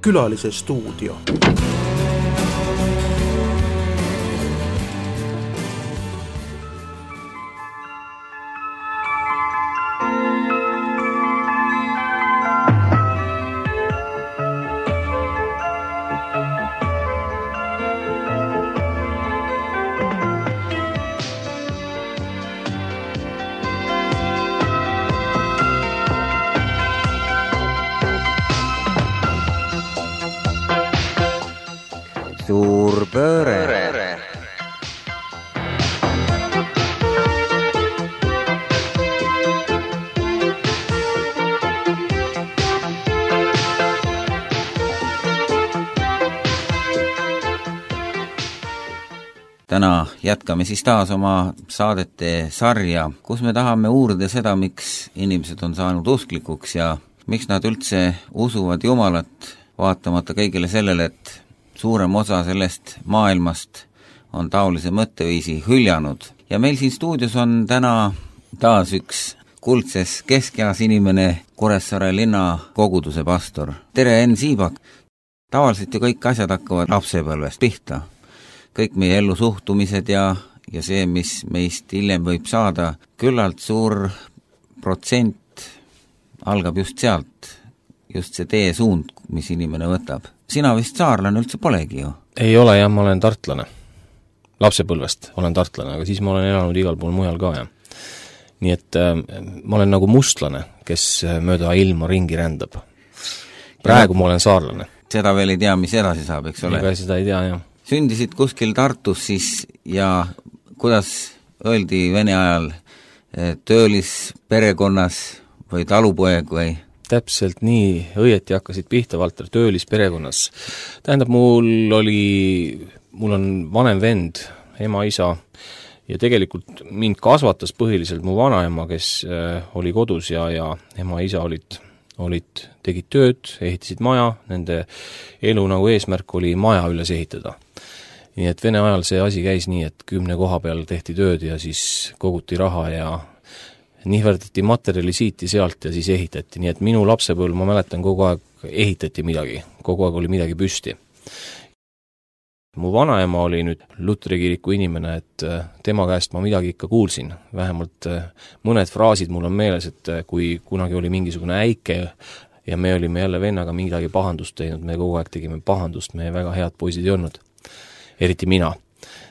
Külalise stuudio. Suur pööre. Täna jätkame siis taas oma saadete sarja, kus me tahame uurida seda, miks inimesed on saanud usklikuks ja miks nad üldse usuvad Jumalat, vaatamata kõigile sellele, et suurem osa sellest maailmast on taolise mõtteviisi hüljanud. Ja meil siin stuudios on täna taas üks kuldses keskeas inimene, Kuressaare linna koguduse pastor. Tere, Enn Siibak! Tavaliselt ju kõik asjad hakkavad lapsepõlvest pihta. Kõik meie ellu suhtumised ja see, mis meist hiljem võib saada, küllalt suur protsent algab just sealt, just see teesuund, mis inimene võtab. Sina vist saarlane üldse polegi ju? Ei ole jah, ma olen tartlane. Lapsepõlvest olen tartlane, aga siis ma olen elanud igal pool mujal ka. Ja. Nii et ma olen nagu mustlane, kes mööda ilma ringi rändab. Praegu ma olen saarlane. Seda veel ei tea, mis edasi saab, eks ole? Ega seda ei tea, jah. Sündisid kuskil Tartus siis ja kuidas öeldi vene ajal töölis perekonnas või talupoeg või? Täpselt nii, õieti hakkasid pihta, Valter, töölis perekonnas. Tähendab, mul on vanem vend, ema, isa, ja tegelikult mind kasvatas põhiliselt mu vanaema, kes oli kodus ja ema, isa tegid tööd, ehitasid maja, nende elu nagu eesmärk oli maja üles ehitada. Nii et vene ajal see asi käis nii, et 10 koha peal tehti tööd ja siis koguti raha ja nihverdati materjali siiti sealt ja siis ehitati, nii et minu lapsepõlv, ma mäletan, kogu aeg ehitati midagi, kogu aeg oli midagi püsti. Mu vanaema oli nüüd Luteri kiriku inimene, et tema käest ma midagi ikka kuulsin, vähemalt mõned fraasid mul on meeles, et kui kunagi oli mingisugune äike ja me olime jälle vennaga midagi pahandust teinud, me kogu aeg tegime pahandust, me väga head poisid ei olnud, eriti mina,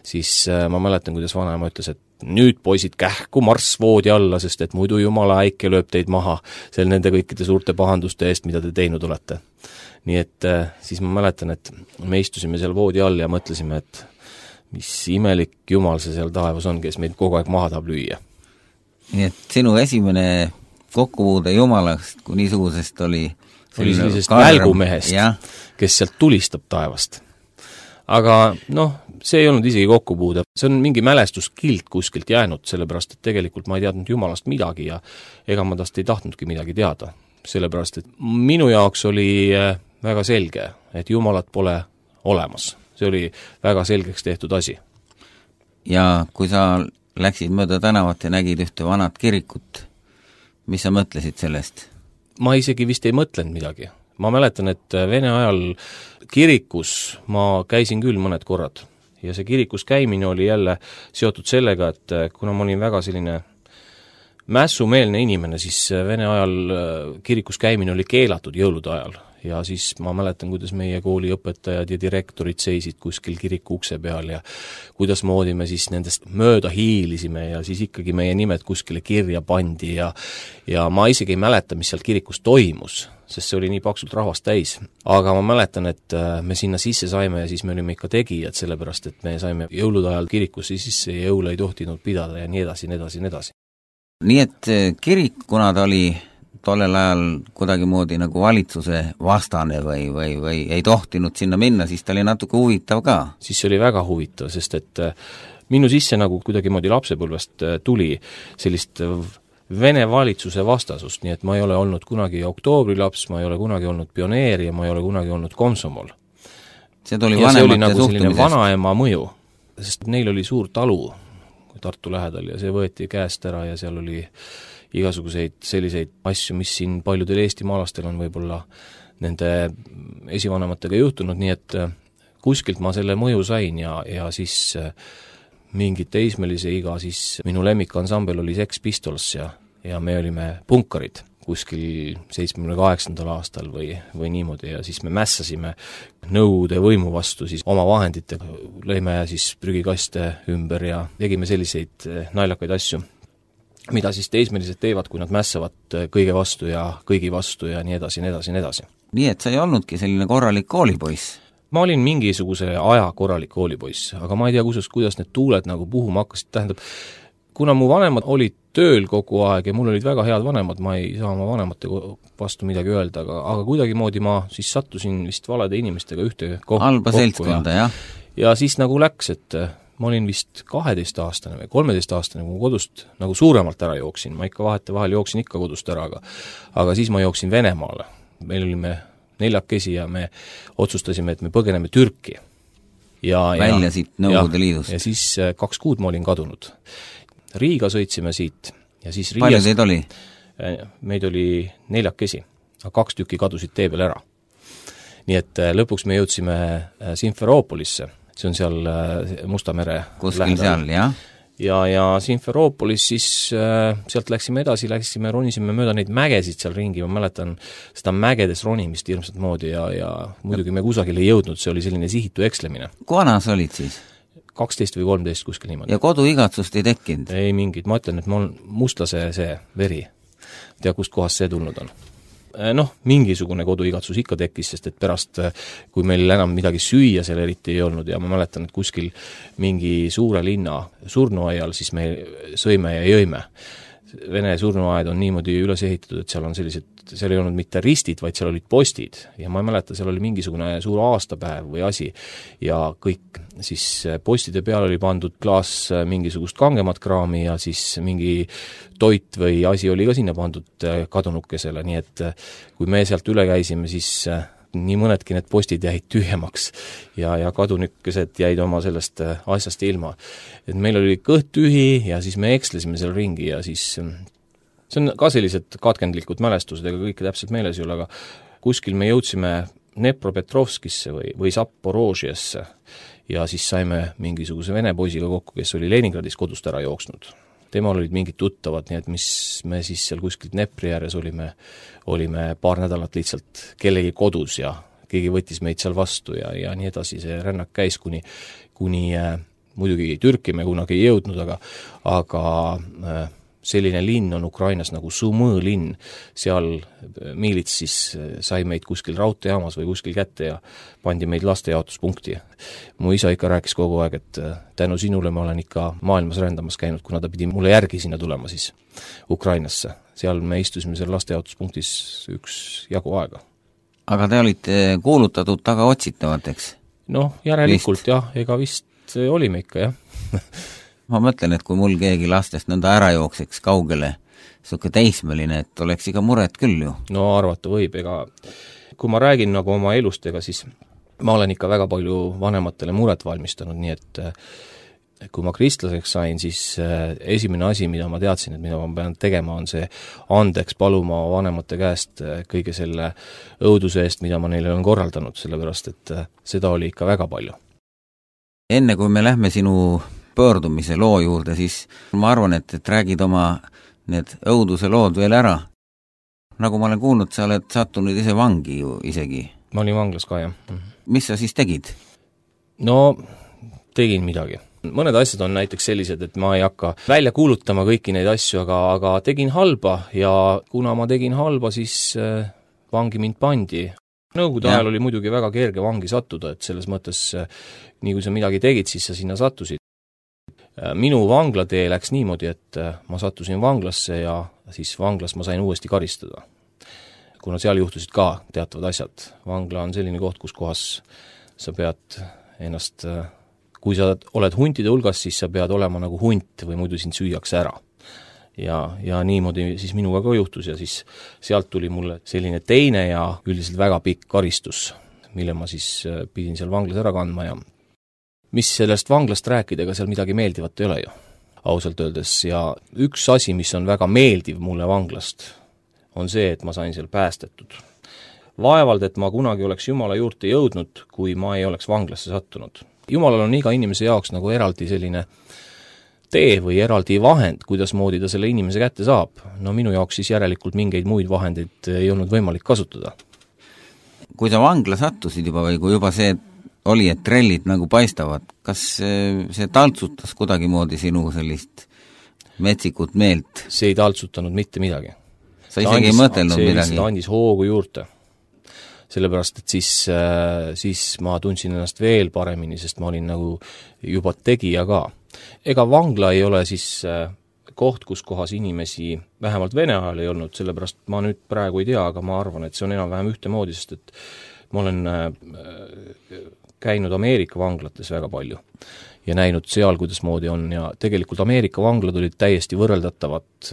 siis ma mäletan, kuidas vanaema ütles, et nüüd poisid kähku marss voodi alla, sest et muidu jumala äike lööb teid maha seal nende kõikide suurte pahanduste eest, mida te teinud olete. Nii et siis ma mäletan, et me istusime seal voodi all ja mõtlesime, et mis imelik jumal see seal taevas on, kes meid kogu aeg maha tahab lüüa. Nii et sinu esimene kokkupuude jumalast kui niisugusest oli sellisest välgumehest, kes sealt tulistab taevast. Aga see ei olnud isegi kokkupuude, see on mingi mälestuskilt kuskilt jäänud, sellepärast, et tegelikult ma ei teadnud jumalast midagi ja ega ma tast ei tahtnudki midagi teada, sellepärast, et minu jaoks oli väga selge, et jumalat pole olemas. See oli väga selgeks tehtud asi. Ja kui sa läksid mööda tänavat ja nägid ühte vanat kirikut, mis sa mõtlesid sellest? Ma isegi vist ei mõtlenud midagi. Ma mäletan, et vene ajal kirikus ma käisin küll mõned korrad ja see kirikus käimine oli jälle seotud sellega, et kuna ma olin väga selline mässumeelne inimene, siis vene ajal kirikus käimine oli keelatud jõulude ajal ja siis ma mäletan, kuidas meie kooli õpetajad ja direktorid seisid kuskil kiriku ukse peal ja kuidas moodi me siis nendest mööda hiilisime ja siis ikkagi meie nimed kuskile kirja pandi ja ma isegi ei mäleta, mis seal kirikus toimus, sest see oli nii paksult rahvast täis. Aga ma mäletan, et me sinna sisse saime ja siis me olime ikka tegijad, sellepärast et me saime jõulude ajal kirikusse sisse ja jõule ei tohtinud pidada ja nii edasi, nii edasi, nii edasi. Nii et kirik, kuna ta oli tollel ajal kuidagimoodi nagu valitsuse vastane või ei tohtinud sinna minna, siis ta oli natuke huvitav ka. Siis see oli väga huvitav, sest et minu sisse nagu kuidagimoodi lapsepõlvest tuli sellist Vene valitsuse vastasust, nii et ma ei ole olnud kunagi oktoobrilaps, ma ei ole kunagi olnud pioneer ja ma ei ole kunagi olnud komsomol. See oli nagu selline vanaema mõju, sest neil oli suur talu Tartu lähedal ja see võeti käest ära ja seal oli igasuguseid selliseid asju, mis siin paljudel eestimaalastel on võib-olla nende esivanematega juhtunud, nii et kuskilt ma selle mõju sain ja siis mingit teismelise iga, siis minu lemmikansambel oli Sex Pistols ja me olime punkarid kuskil 78. aastal või niimoodi ja siis me mässasime Nõukogude võimu vastu siis oma vahenditega, lõime siis prügikaste ümber ja tegime selliseid naljakaid asju, mida siis teismelised teevad, kui nad mässavad kõige vastu ja kõigi vastu ja nii edasi, nii edasi, nii edasi. Nii et sa ei olnudki selline korralik koolipoiss? Ma olin mingisuguse aja korralik koolipoiss, aga ma ei tea, kuidas need tuuled nagu puhuma hakkasid, tähendab, kuna mu vanemad olid tööl kogu aeg ja mul olid väga head vanemad, ma ei saa oma vanemate vastu midagi öelda, aga kuidagimoodi ma siis sattusin vist valede inimestega ühte halba seltskonda, jah? Ja siis nagu läks, et ma olin vist 12-aastane või 13-aastane, kui kodust nagu suuremalt ära jooksin, ma ikka vahetevahel jooksin ikka kodust ära, aga siis ma jooksin Venemaale. Meil olime 4 ja me otsustasime, et me põgeneme Türki. Välja siit Nõukogude Liidust. Ja siis 2 kuud ma olin kadunud. Riiga sõitsime siit ja siis palju teid oli? Meid oli 4, aga 2 tükki kadusid tee peal ära. Nii et lõpuks me jõudsime Simferoopolisse, see on seal Musta mere kuskil seal, jah? Ja Simferoopolis siis sealt läksime edasi, ronisime mööda neid mägesid seal ringi, ma mäletan seda mägedes ronimist hirmsat moodi ja muidugi me kusagil ei jõudnud, see oli selline sihitu ekslemine. Kui vana sa olid siis? 12 või 13 kuskil niimoodi. Ja koduigatsust ei tekkinud? Ei mingit, ma ütlen, et ma olen mustlase see veri. Tea, kust kohast see tulnud on. Mingisugune koduigatsus ikka tekkis, sest et pärast, kui meil enam midagi süüa seal eriti ei olnud ja ma mäletan, et kuskil mingi suure linna surnuaial siis me sõime ja jõime. Vene surnuaed on niimoodi üles ehitatud, et seal on sellised, seal ei olnud mitte ristid, vaid seal olid postid ja ma ei mäleta, seal oli mingisugune suur aastapäev või asi ja kõik siis postide peal oli pandud klaas mingisugust kangemat kraami ja siis mingi toit või asi oli ka sinna pandud kadunukesele, nii et kui me sealt üle käisime, siis nii mõnedki need postid jäid tühjemaks ja kadunukesed jäid oma sellest asjast ilma. Et meil oli kõht tühi ja siis me ekslesime seal ringi ja siis see on ka sellised katkendlikud mälestused, ega kõike täpselt meeles ei ole, aga kuskil me jõudsime Dnepropetrovskisse või Zaporožiesse ja siis saime mingisuguse vene poisiga kokku, kes oli Leningradis kodust ära jooksnud. Temal olid mingid tuttavad, nii et mis me siis seal kuskil Dnepri ääres olime 2 nädalat lihtsalt kellegi kodus ja keegi võttis meid seal vastu ja nii edasi, see rännak käis kuni muidugi Türki me kunagi ei jõudnud, aga selline linn on Ukrainas nagu Sumõ linn, seal miilits siis sai meid kuskil raudteejaamas või kuskil kätte ja pandi meid lastejaotuspunkti. Mu isa ikka rääkis kogu aeg, et tänu sinule ma olen ikka maailmas rändamas käinud, kuna ta pidi mulle järgi sinna tulema siis Ukrainasse. Seal me istusime seal lastejaotuspunktis üksjagu aega. Aga te olite kuulutatud taga otsitavateks? Järelikult jah, ega vist olime ikka, jah. Ma mõtlen, et kui mul keegi lastest nõnda ära jookseks kaugele, suke teismeline, et oleks iga muret küll ju. Arvata võib, ega kui ma räägin nagu oma elust, ega siis ma olen ikka väga palju vanematele muret valmistanud, nii et kui ma kristlaseks sain, siis esimene asi, mida ma teadsin, et mida ma pean tegema, on see andeks paluma vanemate käest kõige selle õuduse eest, mida ma neile olen korraldanud, sellepärast et seda oli ikka väga palju. Enne kui me lähme sinu pöördumise loo juurde, siis ma arvan, et räägid oma need õuduse lood veel ära. Nagu ma olen kuulnud, sa oled sattunud ise vangi ju isegi. Ma olin vanglas ka, jah. Mis sa siis tegid? Tegin midagi. Mõned asjad on näiteks sellised, et ma ei hakka välja kuulutama kõiki neid asju, aga tegin halba ja kuna ma tegin halba, siis vangi mind pandi. Nõukogude ajal oli muidugi väga kerge vangi sattuda, et selles mõttes, nii kui sa midagi tegid, siis sa sinna sattusid. Minu vanglatee läks niimoodi, et ma sattusin vanglasse ja siis vanglas ma sain uuesti karistada. Kuna seal juhtusid ka teatavad asjad. Vangla on selline koht, kus kohas sa pead ennast, kui sa oled huntide hulgas, siis sa pead olema nagu hunt või muidu sind süüakse ära. Ja niimoodi siis minuga ka juhtus ja siis sealt tuli mulle selline teine ja üldiselt väga pikk karistus, mille ma siis pidin seal vanglas ära kandma ja mis sellest vanglast rääkida, ega seal midagi meeldivat ei ole ju, ausalt öeldes. Ja üks asi, mis on väga meeldiv mulle vanglast, on see, et ma sain seal päästetud. vaevalt, et ma kunagi oleks Jumala juurde jõudnud, kui ma ei oleks vanglasse sattunud. Jumalal on iga inimese jaoks nagu eraldi selline tee või eraldi vahend, kuidas moodi ta selle inimese kätte saab. No minu jaoks siis järelikult mingeid muid vahendeid ei olnud võimalik kasutada. Kui sa vangla sattusid juba või kui juba see oli, et trellid nagu paistavad, kas see taltsutas kuidagimoodi sinu sellist metsikut meelt? See ei taltsutanud mitte midagi. Sa isegi ei mõtelnud midagi? See andis hoogu juurde. Sellepärast, et siis ma tundsin ennast veel paremini, sest ma olin nagu juba tegija ka. Ega vangla ei ole siis koht, kus kohas inimesi vähemalt Vene ajal ei olnud, sellepärast ma nüüd praegu ei tea, aga ma arvan, et see on enam-vähem ühtemoodi, sest et ma olen käinud Ameerika vanglates väga palju ja näinud seal, kuidas moodi on ja tegelikult Ameerika vanglad olid täiesti võrreldatavad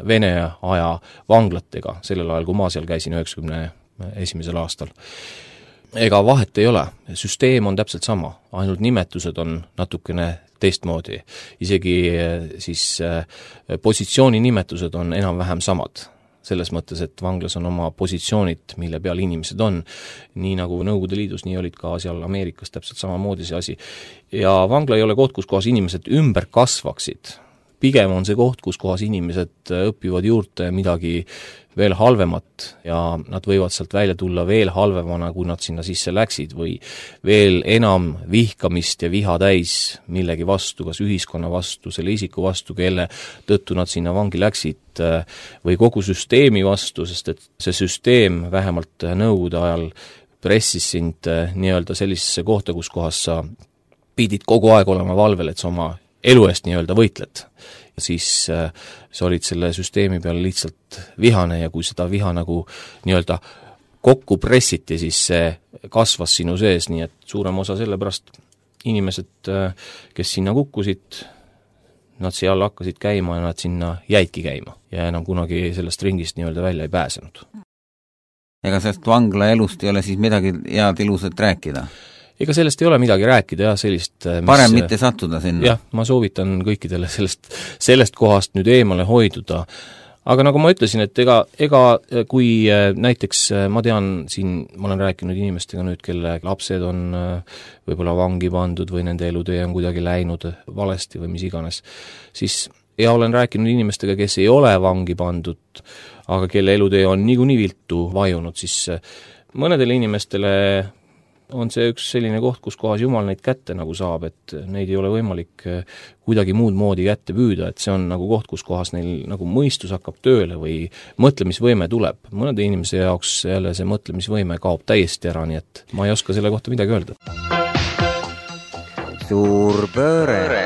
Vene aja vanglatega, sellel ajal, kui ma seal käisin 91. aastal. Ega vahet ei ole, süsteem on täpselt sama, ainult nimetused on natukene teistmoodi. Isegi siis positsiooni nimetused on enam-vähem samad. Selles mõttes, et vanglas on oma positsioonid, mille peal inimesed on. Nii nagu Nõukogude Liidus, nii olid ka seal Ameerikas täpselt samamoodi see asi. Ja vangla ei ole koht, kus kohas inimesed ümber kasvaksid. Pigem on see koht, kus kohas inimesed õpivad juurde midagi veel halvemat ja nad võivad sealt välja tulla veel halvemana, kui nad sinna sisse läksid või veel enam vihkamist ja viha täis millegi vastu, kas ühiskonna vastu, selle isiku vastu, kelle tõttu nad sinna vangi läksid või kogu süsteemi vastu, sest et see süsteem vähemalt Nõukogude ajal pressis sind nii-öelda sellisesse kohta, kus kohas sa pidid kogu aeg olema valvel, et sa oma elu eest nii-öelda võitled. Ja siis sa olid selle süsteemi peal lihtsalt vihane ja kui seda viha nagu nii-öelda kokku pressiti, siis see kasvas sinu sees, nii et suurem osa sellepärast inimesed, kes sinna kukkusid, nad seal hakkasid käima ja nad sinna jäidki käima ja enam kunagi sellest ringist nii-öelda välja ei pääsenud. Ega sellest vangla elust ei ole siis midagi head ilusat rääkida? Ega sellest ei ole midagi rääkida ja sellist parem mitte sattuda sinna? Jah, ma soovitan kõikidele sellest kohast nüüd eemale hoiduda. Aga nagu ma ütlesin, et ega kui näiteks ma tean siin, ma olen rääkinud inimestega nüüd, kelle lapsed on võib-olla vangi pandud või nende elutee on kuidagi läinud valesti või mis iganes, siis ja olen rääkinud inimestega, kes ei ole vangi pandud, aga kelle elutee on niikuinii viltu vajunud, siis mõnedele inimestele on see üks selline koht, kus kohas Jumal neid kätte nagu saab, et neid ei ole võimalik kuidagi muud moodi kätte püüda, et see on nagu koht, kus kohas neil nagu mõistus hakkab tööle või mõtlemisvõime tuleb. Mõnede inimese jaoks jälle see mõtlemisvõime kaob täiesti ära, nii et ma ei oska selle kohta midagi öelda. Suur pööre.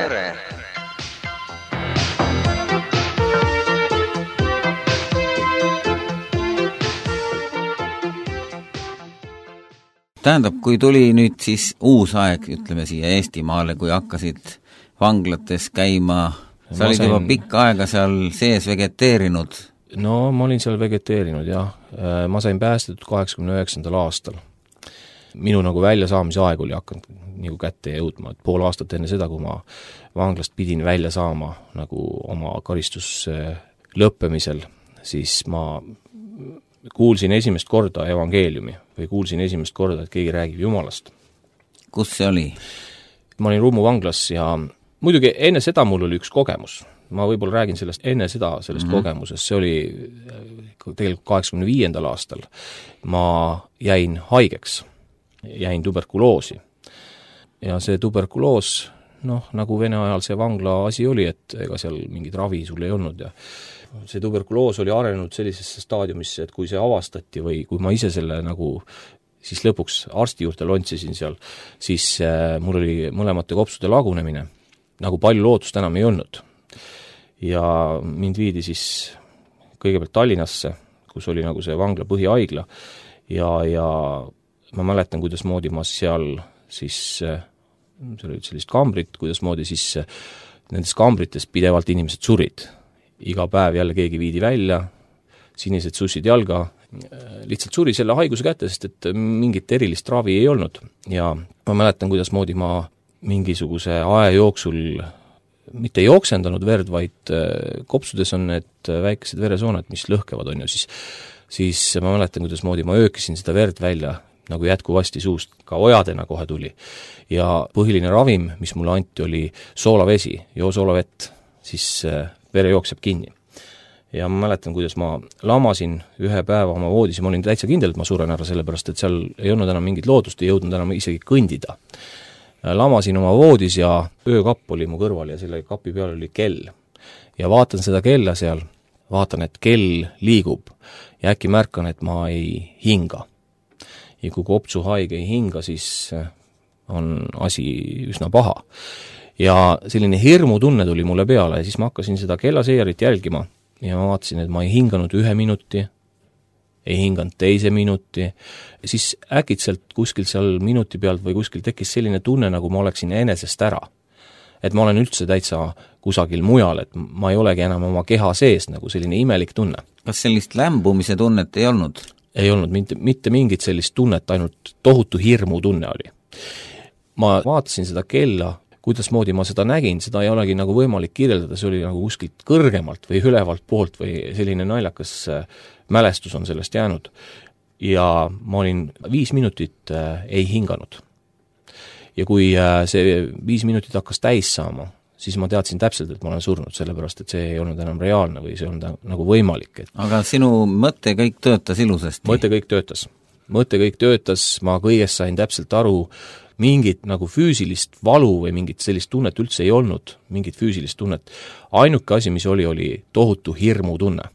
Tähendab, kui tuli nüüd siis uus aeg, ütleme siia Eestimaale, kui hakkasid vanglates käima, sa olid juba pikka aega seal sees vegeteerinud? No ma olin seal vegeteerinud, jah. Ma sain päästetud 89. aastal. Minu nagu väljasaamise aeg oli hakanud nagu kätte jõudma, et pool aastat enne seda, kui ma vanglast pidin välja saama nagu oma karistus lõppemisel, siis ma kuulsin esimest korda evangeeliumi või kuulsin esimest korda, et keegi räägib Jumalast. Kus see oli? Ma olin Rummu vanglas ja muidugi enne seda mul oli üks kogemus. Ma võib-olla räägin sellest enne sellest kogemusest. See oli tegelikult 85. aastal. Ma jäin haigeks. Jäin tuberkuloosi. Ja see tuberkuloos, nagu Vene ajal see vangla asi oli, et ega seal mingit ravi sul ei olnud ja see tuberkuloos oli arenenud sellisesse staadiumisse, et kui see avastati või kui ma ise selle nagu siis lõpuks arsti juurde lontsisin seal, siis mul oli mõlemate kopsude lagunemine, nagu palju lootust enam ei olnud. Ja mind viidi siis kõigepealt Tallinnasse, kus oli nagu see vangla põhihaigla ja ma mäletan, kuidas moodi ma seal siis, see oli sellist kambrit, kuidas moodi siis nendes kambrites pidevalt inimesed surid. Iga päev jälle keegi viidi välja, sinised sussid jalga, lihtsalt suri selle haiguse kätte, sest et mingit erilist ravi ei olnud. Ja ma mäletan, kuidas moodi ma mingisuguse aja jooksul mitte jooksendanud verd, vaid kopsudes on need väikesed veresooned, mis lõhkevad, on ju, siis siis ma mäletan, kuidas moodi ma öökisin seda verd välja nagu jätkuvasti suust, ka ojadena kohe tuli. Ja põhiline ravim, mis mulle anti, oli soolavesi, joo soolavett, siis vere jookseb kinni. Ja ma mäletan, kuidas ma lamasin ühe päeva oma voodis ja ma olin täitsa kindel, et ma suren ära, sellepärast et seal ei olnud enam mingit loodust, ei jõudnud enam isegi kõndida. Lamasin oma voodis ja öökapp oli mu kõrval ja selle kapi peal oli kell. Ja vaatan seda kella seal, vaatan, et kell liigub ja äkki märkan, et ma ei hinga. Ja kui kopsuhaige ei hinga, siis on asi üsna paha. Ja selline hirmutunne tuli mulle peale ja siis ma hakkasin seda kellaseerit jälgima ja ma vaatasin, et ma ei hinganud 1 minuti, ei hinganud 2 minuti, siis äkitselt kuskil seal minuti pealt või kuskil tekkis selline tunne, nagu ma oleksin enesest ära. Et ma olen üldse täitsa kusagil mujal, et ma ei olegi enam oma keha sees, nagu selline imelik tunne. Kas sellist lämbumise tunnet ei olnud? Ei olnud mitte mingit sellist tunnet, ainult tohutu hirmu tunne oli. Ma vaatasin seda kella, kuidas moodi ma seda nägin, seda ei olegi nagu võimalik kirjeldada, see oli nagu kuskilt kõrgemalt või ülevalt poolt või selline naljakas mälestus on sellest jäänud. Ja ma olin 5 minutit ei hinganud. Ja kui see 5 minutit hakkas täis saama, siis ma teadsin täpselt, et ma olen surnud, sellepärast et see ei olnud enam reaalne või see on nagu võimalik. Aga sinu mõte kõik töötas ilusasti? Mõte kõik töötas, ma kõigest sain täpselt aru, mingit nagu füüsilist valu või mingit sellist tunnet üldse ei olnud, mingit füüsilist tunnet. Ainuke asi, mis oli tohutu hirmutunne,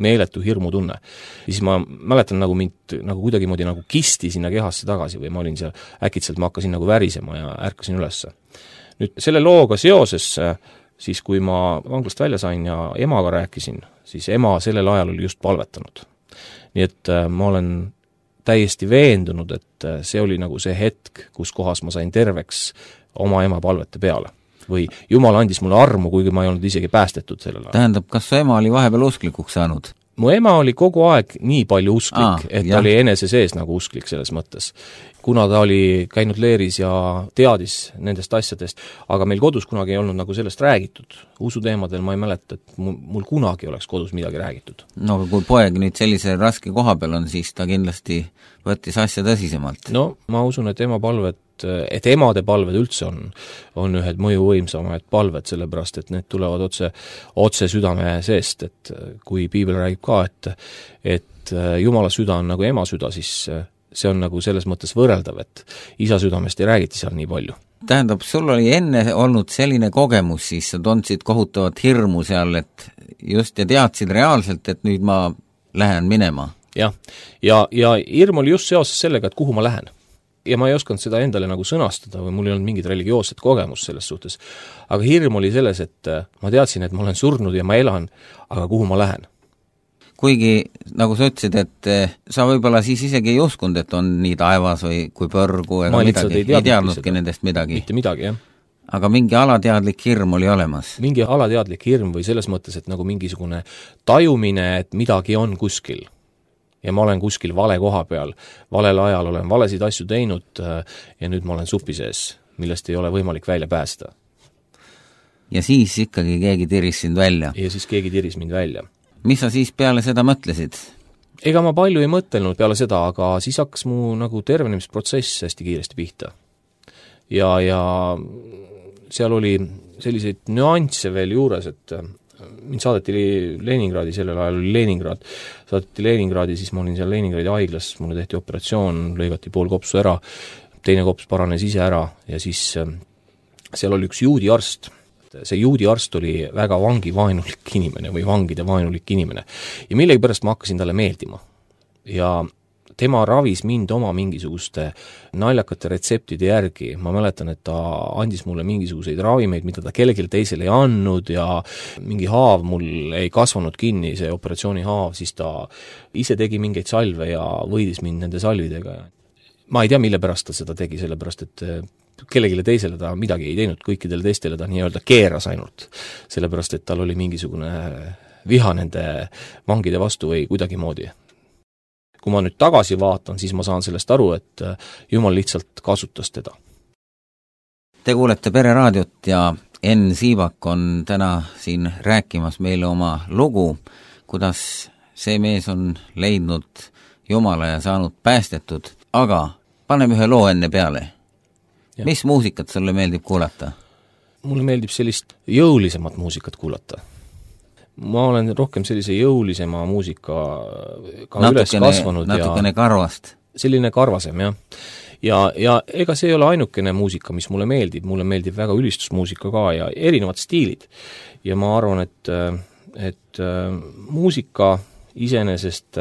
meeletu hirmutunne. Ja siis ma mäletan nagu mind nagu kuidagi moodi nagu kisti sinna kehasse tagasi või ma olin seal, äkitselt ma hakkasin nagu värisema ja ärkasin ülesse. Nüüd selle looga seoses, siis kui ma vanglast välja sain ja emaga rääkisin, siis ema sellel ajal oli just palvetanud. Nii et ma olen täiesti veendunud, et see oli nagu see hetk, kus kohas ma sain terveks oma ema palvete peale. Või Jumal andis mulle armu, kuigi ma ei olnud isegi päästetud sellel ajal. Tähendab, kas su ema oli vahepeal usklikuks saanud? Mu ema oli kogu aeg nii palju usklik, et ta oli enese sees nagu usklik selles mõttes. Kuna ta oli käinud leeris ja teadis nendest asjadest, aga meil kodus kunagi ei olnud nagu sellest räägitud. Usuteemadel ma ei mäleta, et mul kunagi oleks kodus midagi räägitud. No aga kui poeg nüüd sellise raske koha peal on, siis ta kindlasti võttis asja tõsisemalt. No ma usun, et emade palved üldse on ühed mõjuvõimsamaid palved, sellepärast, et need tulevad otse südame seest, et kui piibel räägib ka, et Jumala süda on nagu ema süda, siis see on nagu selles mõttes võrreldav, et isa südamest ei räägiti seal nii palju. Tähendab, sul oli enne olnud selline kogemus, siis sa tundsid kohutavat hirmu seal, et just ja teadsid reaalselt, et nüüd ma lähen minema. Ja hirm oli just seoses sellega, et kuhu ma lähen. Ja ma ei osanud seda endale nagu sõnastada või mul ei olnud mingit religioosset kogemust selles suhtes. Aga hirm oli selles, et ma teadsin, et ma olen surnud ja ma elan, aga kuhu ma lähen. Kuigi, nagu sa ütlesid, et sa võib-olla siis isegi ei uskunud, et on nii taevas või kui põrgu ega midagi, ei teadnudki nendest midagi. Mitte midagi, jah. Aga mingi alateadlik hirm oli olemas? Mingi alateadlik hirm või selles mõttes, et nagu mingisugune tajumine, et midagi on kuskil. Ja ma olen kuskil vale koha peal, valel ajal olen valesid asju teinud ja nüüd ma olen supi sees, millest ei ole võimalik välja päästa. Ja siis ikkagi keegi tiris sind välja? Ja siis keegi tiris mind välja. Mis sa siis peale seda mõtlesid? Ega ma palju ei mõtelnud peale seda, aga siis hakkas mu nagu tervenemisprotsess hästi kiiresti pihta. Ja seal oli selliseid nüansse veel juures, et mind saadeti Leningradi, sellel ajal oli Leningrad, saadeti Leningradi, siis ma olin seal Leningradi haiglas, mulle tehti operatsioon, lõigati pool kopsu ära, teine kops paranes ise ära ja siis seal oli üks juudi arst. See juudi arst oli väga vangivaenulik inimene või vangide vaenulik inimene ja millegipärast ma hakkasin talle meeldima ja tema ravis mind oma mingisuguste naljakate retseptide järgi. Ma mäletan, et ta andis mulle mingisuguseid ravimeid, mida ta kellelegi teisele ei andnud ja mingi haav mul ei kasvanud kinni, see operatsiooni haav, siis ta ise tegi mingeid salve ja võidis mind nende salvidega. Ma ei tea, mille pärast ta seda tegi, sellepärast et kellegile teisele ta midagi ei teinud, kõikidele teistele ta nii-öelda keeras ainult, sellepärast et tal oli mingisugune viha nende vangide vastu või kuidagi moodi. Kui ma nüüd tagasi vaatan, siis ma saan sellest aru, et Jumal lihtsalt kasutas teda. Te kuulete Pereraadiot ja Enn Siibak on täna siin rääkimas meile oma lugu, kuidas see mees on leidnud Jumala ja saanud päästetud, aga paneme ühe loo enne peale. Ja. Mis muusikat sulle meeldib kuulata? Mulle meeldib sellist jõulisemat muusikat kuulata. Ma olen rohkem sellise jõulisema muusika ka üles kasvanud. Natukene karvast. Selline karvasem, jah. Ja ega see ei ole ainukene muusika, mis mulle meeldib väga ülistusmuusika ka ja erinevad stiilid. Ja ma arvan, et muusika iseenesest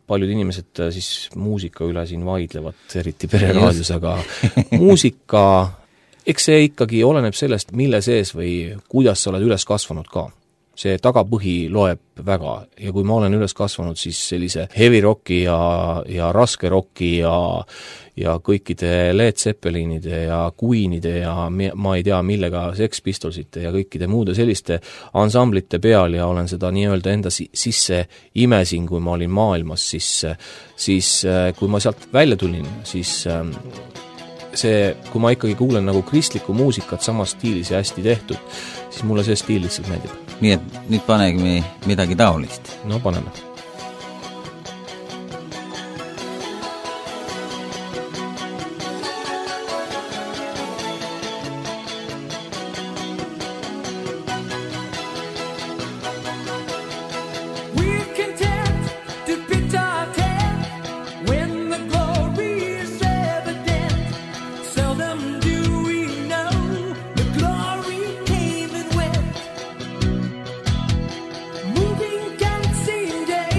paljud inimesed siis muusika üle siin vaidlevad, eriti pereraadios, aga muusika, eks see ikkagi oleneb sellest, mille sees või kuidas sa oled üles kasvanud ka. See tagapõhi loeb väga ja kui ma olen üles kasvanud, siis sellise heavy rocki ja raske rocki ja kõikide Led Zeppelinide ja Queenide ja ma ei tea millega Sex Pistolsite ja kõikide muude selliste ansamblite peal ja olen seda nii-öelda enda sisse imesin, kui ma olin maailmas, siis kui ma sealt välja tulin, siis kui ma ikkagi kuulen nagu kristlikku muusikat samas stiilis ja hästi tehtud, siis mulle see stiil lihtsalt meeldib. Nii et nüüd panegi midagi taolist. No paneme. Moving can seem day.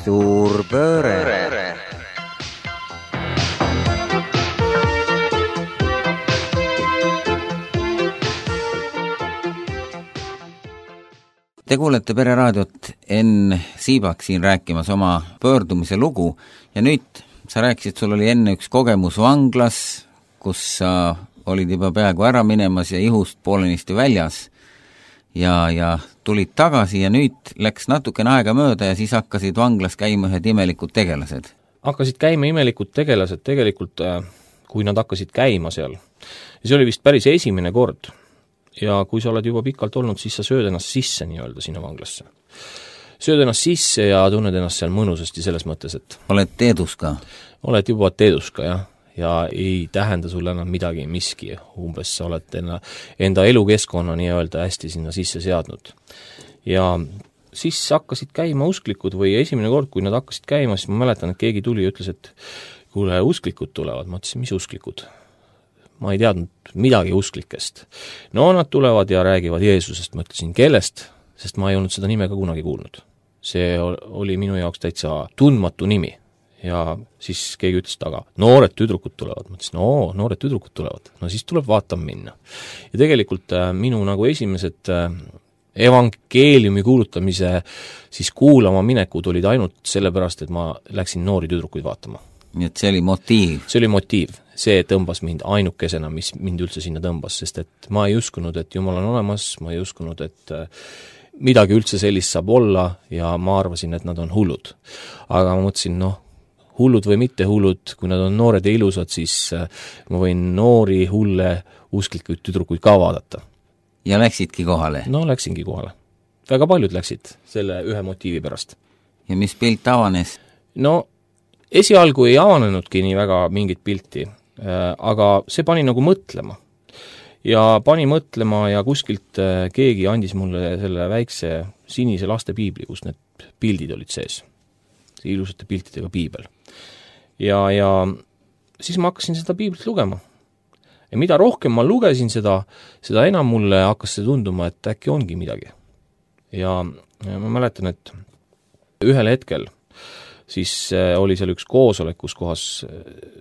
Suur pööre. Te kuulete Pereraadiot, Enn Siibak siin rääkimas oma pöördumise lugu ja nüüd sa rääkisid, sul oli enne üks kogemus vanglas, kus sa olid juba peaaegu ära minemas ja ihust poolenisti väljas ja tulid tagasi ja nüüd läks natukene aega mööda ja siis hakkasid vanglas käima ühed imelikud tegelased. Hakkasid käima imelikud tegelased tegelikult, kui nad hakkasid käima seal. Ja see oli vist päris esimene kord. Ja kui sa oled juba pikalt olnud, siis sa sööd ennast sisse nii-öelda sinna vanglasse. Sööd ennast sisse ja tunned ennast seal mõnusasti selles mõttes, et oled teeduska? Oled juba teeduska, jah. Ja ei tähenda sulle enam midagi, miski. Umbes sa oled enda elukeskkonna nii-öelda hästi sinna sisse seadnud. Ja siis hakkasid käima usklikud või esimene kord, kui nad hakkasid käima, siis ma mäletan, et keegi tuli ja ütles, et kuule, usklikud tulevad. Ma ütlesin, mis usklikud? Ma ei teadnud midagi usklikest. No nad tulevad ja räägivad Jeesusest, ma ütlesin, kellest, sest ma ei olnud seda nime ka kunagi kuulnud. See oli minu jaoks täitsa tundmatu nimi. Ja siis keegi ütles taga, noored tüdrukud tulevad. Ma ütlesin, noored tüdrukud tulevad. No siis tuleb vaatama minna. Ja tegelikult minu nagu esimesed evangeeliumi kuulutamise siis kuulama minekud olid ainult sellepärast, et ma läksin noori tüdrukuid vaatama. Nii et see oli motiiv? See oli motiiv. See tõmbas mind ainukesena, mis mind üldse sinna tõmbas, sest et ma ei uskunud, et Jumal on olemas, ma ei uskunud, et midagi üldse sellist saab olla ja ma arvasin, et nad on hullud. Aga ma mõtlesin, hullud või mitte hullud, kui nad on noored ja ilusad, siis ma võin noori hulle usklikuid tüdrukuid ka vaadata. Ja läksidki kohale? No, läksingi kohale. Väga paljud läksid selle ühe motiivi pärast. Ja mis pilt avanes? No, esialgu ei avanenudki nii väga mingit pilti, aga see pani nagu mõtlema. Ja pani mõtlema ja kuskilt keegi andis mulle selle väikse sinise lastepiibli, kus need pildid olid sees. See ilusate piltidega piibel. Ja siis ma hakkasin seda piiblit lugema. Ja mida rohkem ma lugesin seda enam mulle hakkas see tunduma, et äkki ongi midagi. Ja ma mäletan, et ühel hetkel siis oli seal üks koosolek, kus kohas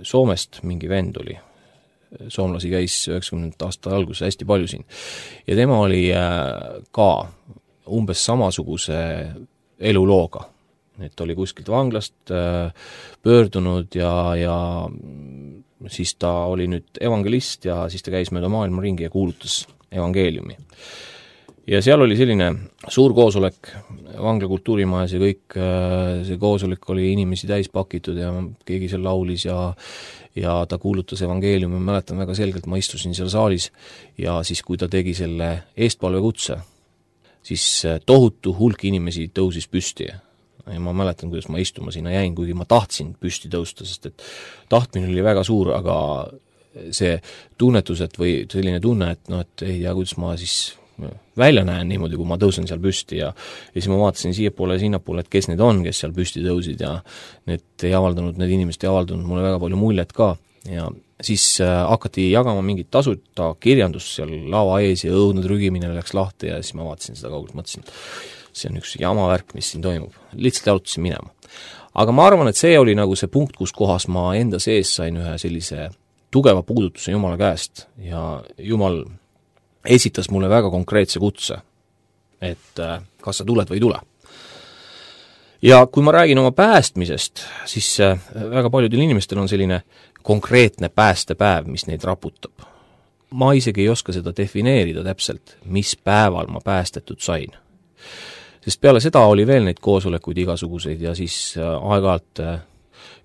Soomest mingi vend oli. Soomlasi käis 90. aasta alguses hästi palju siin. Ja tema oli ka umbes samasuguse elulooga. Et oli kuskilt vanglast pöördunud ja siis ta oli nüüd evangelist ja siis ta käis mööda maailma ringi ja kuulutas evangeeliumi. Ja seal oli selline suur koosolek vangla kultuurimajas ja kõik, see koosolek oli inimesi täis pakitud ja keegi seal laulis ja ta kuulutas evangeeliumi, ma mäletan väga selgelt, ma istusin seal saalis ja siis kui ta tegi selle eestpalvekutse, siis tohutu hulk inimesi tõusis püsti ja ma mäletan, kuidas ma istuma sinna jäin, kuigi ma tahtsin püsti tõusta, sest et tahtmine oli väga suur, aga see tunnetus, et või selline tunne, et ei tea, kuidas ma siis välja näen niimoodi, kui ma tõusen seal püsti ja siis ma vaatasin siiapoole ja sinnapoole, et kes need on, kes seal püsti tõusid ja need inimesed ei avaldanud mulle väga palju muljet ka ja siis hakati jagama mingit tasuta kirjandust seal lava ees ja õudne trügimine läks lahti ja siis ma vaatasin seda kaugelt, mõtlesin, see on üks jamavärk, mis siin toimub. Lihtsalt jalutasin minema. Aga ma arvan, et see oli nagu see punkt, kus kohas ma enda sees sain ühe sellise tugeva puudutuse Jumala käest ja Jumal esitas mulle väga konkreetse kutse, et kas sa tuled või ei tule. Ja kui ma räägin oma päästmisest, siis väga paljudel inimestel on selline konkreetne päästepäev, mis neid raputab. Ma isegi ei oska seda defineerida täpselt, mis päeval ma päästetud sain. Sest peale seda oli veel neid koosolekuid igasuguseid ja siis aeg-ajalt,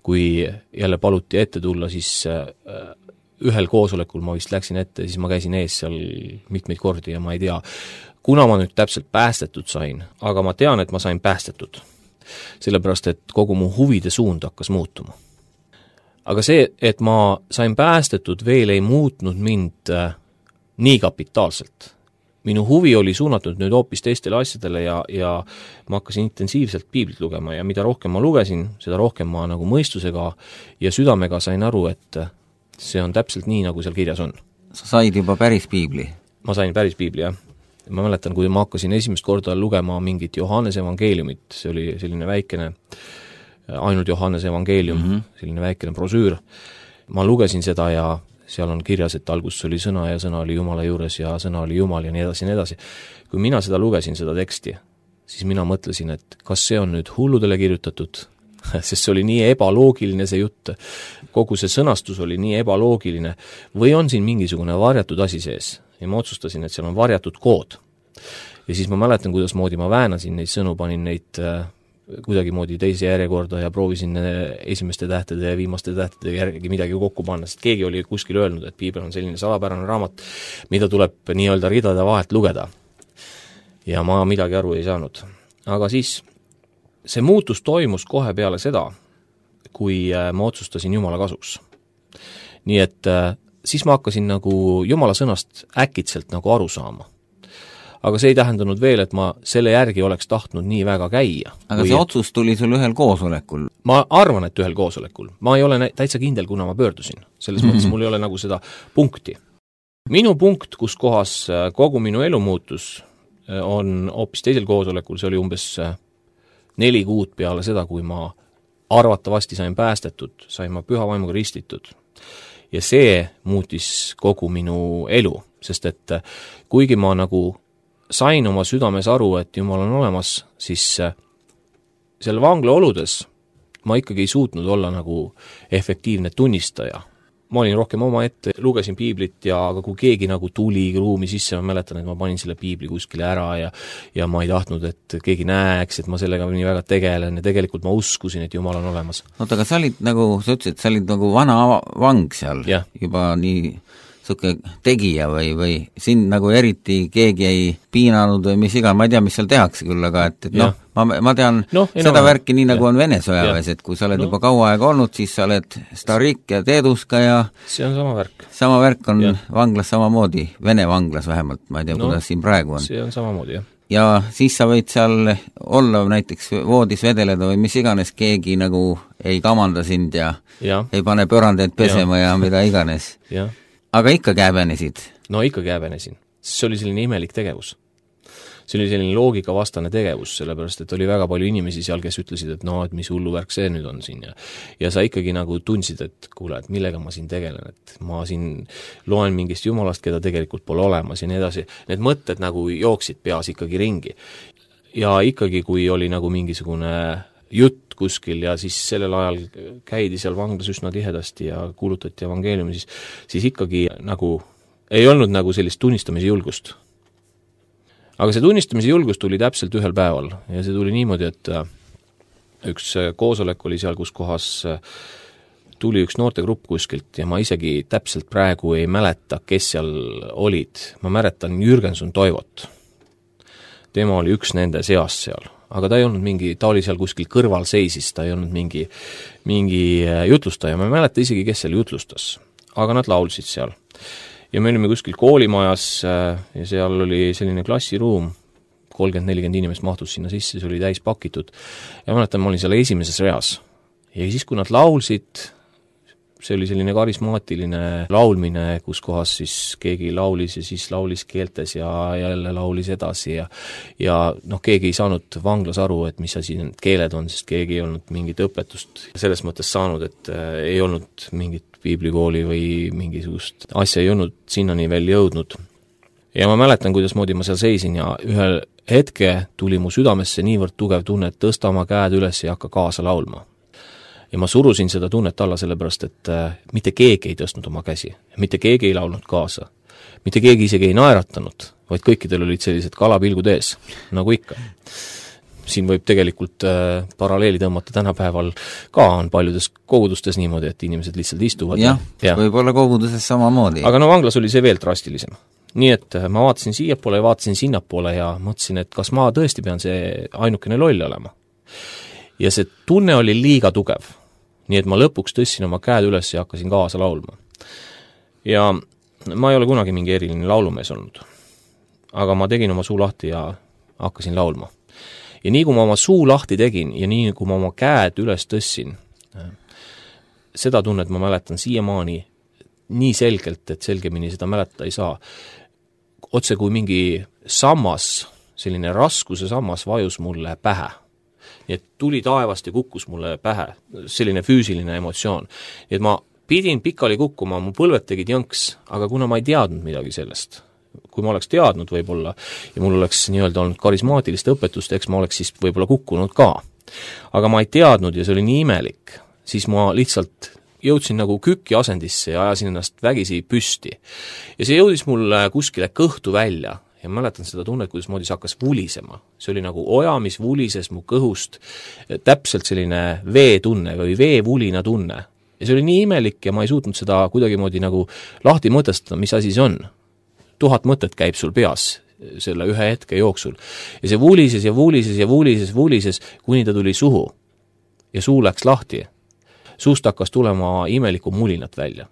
kui jälle paluti ette tulla, siis ühel koosolekul ma vist läksin ette, siis ma käisin ees seal mitmeid kordi ja ma ei tea, kuna ma nüüd täpselt päästetud sain, aga ma tean, et ma sain päästetud. Sellepärast, et kogu mu huvide suund hakkas muutuma. Aga see, et ma sain päästetud, veel ei muutnud mind nii kapitaalselt. Minu huvi oli suunatud nüüd hoopis teistele asjadele ja ma hakkasin intensiivselt piiblit lugema ja mida rohkem ma lugesin, seda rohkem ma nagu mõistusega ja südamega sain aru, et see on täpselt nii, nagu seal kirjas on. Sa said juba päris piibli? Ma sain päris piibli, jah. Ma mäletan, kui ma hakkasin esimest korda lugema mingit Johannese evangeeliumit, see oli selline väikene ainult Johannese evangeelium, selline väikene brosüür. Ma lugesin seda ja seal on kirjas, et alguses oli sõna ja sõna oli Jumala juures ja sõna oli Jumal ja nii edasi ja nii edasi. Kui mina seda lugesin, seda teksti, siis mina mõtlesin, et kas see on nüüd hulludele kirjutatud, sest see oli nii ebaloogiline see jutt, kogu see sõnastus oli nii ebaloogiline, või on siin mingisugune varjatud asi sees. Ja ma otsustasin, et seal on varjatud kood. Ja siis ma mäletan, kuidas moodi ma väänasin neid sõnu, panin neid kuidagimoodi teise järjekorda ja proovisin esimeste tähtede ja viimaste tähtede järgi midagi kokku panna, sest keegi oli kuskil öelnud, et piibel on selline salapärane raamat, mida tuleb nii-öelda ridade vahelt lugeda. Ja ma midagi aru ei saanud. Aga siis see muutus toimus kohe peale seda, kui ma otsustasin Jumala kasuks. Nii et siis ma hakkasin nagu Jumala sõnast äkitselt nagu aru saama. Aga see ei tähendanud veel, et ma selle järgi oleks tahtnud nii väga käia. Aga see otsus tuli sul ühel koosolekul? Ma arvan, et ühel koosolekul. Ma ei ole täitsa kindel, kuna ma pöördusin. Selles mõttes mul ei ole nagu seda punkti. Minu punkt, kus kohas kogu minu elu muutus, on hoopis teisel koosolekul, see oli umbes 4 kuud peale seda, kui ma arvatavasti sain päästetud, sain ma püha vaimuga ristitud. Ja see muutis kogu minu elu, sest et kuigi ma nagu sain oma südames aru, et Jumal on olemas, siis selle vangla oludes ma ikkagi ei suutnud olla nagu efektiivne tunnistaja. Ma olin rohkem oma ette, lugesin piiblit aga kui keegi nagu tuli ruumi sisse, ma mäletan, et ma panin selle piibli kuskile ära ja ma ei tahtnud, et keegi näeks, et ma sellega nii väga tegelen ja tegelikult ma uskusin, et Jumal on olemas. Oota, aga sa olid nagu, sa ütlesid, sa olid nagu vana vang seal, juba nii suke tegija või sind nagu eriti keegi ei piinanud või mis iga, ma ei tea, mis seal tehakse küll, aga et ma tean seda värki nii nagu on Vene sõjaväes, et kui sa oled juba kaua aega olnud, siis sa oled starik ja teeduska ja see on sama värk. Sama värk on vanglas samamoodi, Vene vanglas vähemalt, ma ei tea, kuidas siin praegu on. See on samamoodi, jah. Ja siis sa võid seal olla näiteks voodis vedeleda või mis iganes, keegi nagu ei kamanda sind ja ei pane pörandeid pesema ja mida iganes. Aga ikka häbenesid? No ikka häbenesin. See oli selline imelik tegevus. See oli selline loogikavastane tegevus, sellepärast, et oli väga palju inimesi seal, kes ütlesid, et et mis hullu värk see nüüd on siin. Ja sa ikkagi nagu tundsid, et kuule, et millega ma siin tegelen, et ma siin loen mingist Jumalast, keda tegelikult pole olemas ja nii edasi. Need mõtted nagu jooksid peas ikkagi ringi. Ja ikkagi, kui oli nagu mingisugune jutt kuskil ja siis sellel ajal käidi seal vanglas üsna tihedasti ja kuulutati evangeeliumi, siis ikkagi nagu ei olnud nagu sellist tunnistamise julgust. Aga see tunnistamise julgus tuli täpselt ühel päeval ja see tuli niimoodi, et üks koosolek oli seal, kus kohas tuli üks noortegrupp kuskilt ja ma isegi täpselt praegu ei mäleta, kes seal olid. Ma mäletan Jürgenson Toivot. Tema oli üks nende seas seal. Aga ta ei olnud ta oli seal kuskil kõrval seisis, ta ei olnud mingi jutlustaja, ma ei mäleta isegi, kes seal jutlustas, aga nad laulsid seal. Ja me olime kuskil koolimajas ja seal oli selline klassiruum, 30-40 inimest mahtus sinna sisse, see oli täis pakitud ja mäletan, ma olin seal esimeses reas. Ja siis, kui nad laulsid, see oli selline karismaatiline laulmine, kus kohas siis keegi laulis ja siis laulis keeltes ja jälle laulis edasi ja keegi ei saanud vanglas aru, et mis asi need keeled on, sest keegi ei olnud mingit õpetust selles mõttes saanud, et ei olnud mingit piiblikooli või mingisugust asja ei olnud sinnani veel jõudnud. Ja ma mäletan, kuidas moodi ma seal seisin ja ühel hetke tuli mu südamesse niivõrd tugev tunne, et tõsta oma käed üles ja hakka kaasa laulma. Ja ma surusin seda tunnet alla sellepärast, et mitte keegi ei tõstnud oma käsi, mitte keegi ei laulnud kaasa, mitte keegi isegi ei naeratanud, vaid kõikidel olid sellised kalapilgud ees, nagu ikka. Siin võib tegelikult paralleeli tõmmata tänapäeval ka on paljudes kogudustes niimoodi, et inimesed lihtsalt istuvad. Ja. Võib olla koguduses samamoodi. Aga vanglas oli see veel drastilisem. Nii et ma vaatasin siiapoole ja vaatasin sinnapoole ja mõtlesin, et kas ma tõesti pean see ainukene loll olema. Ja see tunne oli liiga tugev. Nii et ma lõpuks tõssin oma käed üles ja hakkasin kaasa laulma. Ja ma ei ole kunagi mingi eriline laulumees olnud. Aga ma tegin oma suu lahti ja hakkasin laulma. Ja nii kui ma oma suu lahti tegin ja nii kui ma oma käed üles tõssin, seda tunnet ma mäletan siiamaani nii selgelt, et selgemini seda mäletada ei saa. Otse kui mingi sammas, selline raskuse sammas vajus mulle pähe. nii et tuli taevast ja kukkus mulle pähe, selline füüsiline emotsioon. Nii et ma pidin pikali kukkuma, mu põlved tegid jõnks, aga kuna ma ei teadnud midagi sellest, kui ma oleks teadnud võib-olla ja mul oleks nii-öelda olnud karismaatilist õpetust, eks ma oleks siis võib-olla kukkunud ka. Aga ma ei teadnud ja see oli nii imelik, siis ma lihtsalt jõudsin nagu küki asendisse ja ajasin ennast vägisi püsti. Ja see jõudis mul kuskile kõhtu välja ja mäletan seda tunnet, kuidas moodi see hakkas vulisema. See oli nagu oja, mis vulises mu kõhust, täpselt selline veetunne või veevulina tunne. Ja see oli nii imelik ja ma ei suutnud seda kuidagimoodi nagu lahti mõtestada, mis asi see on. 1000 mõtet käib sul peas selle ühe hetke jooksul. Ja see vulises ja vulises ja vulises, kuni ta tuli suhu. Ja suu läks lahti. Suust hakkas tulema imeliku mulinat välja.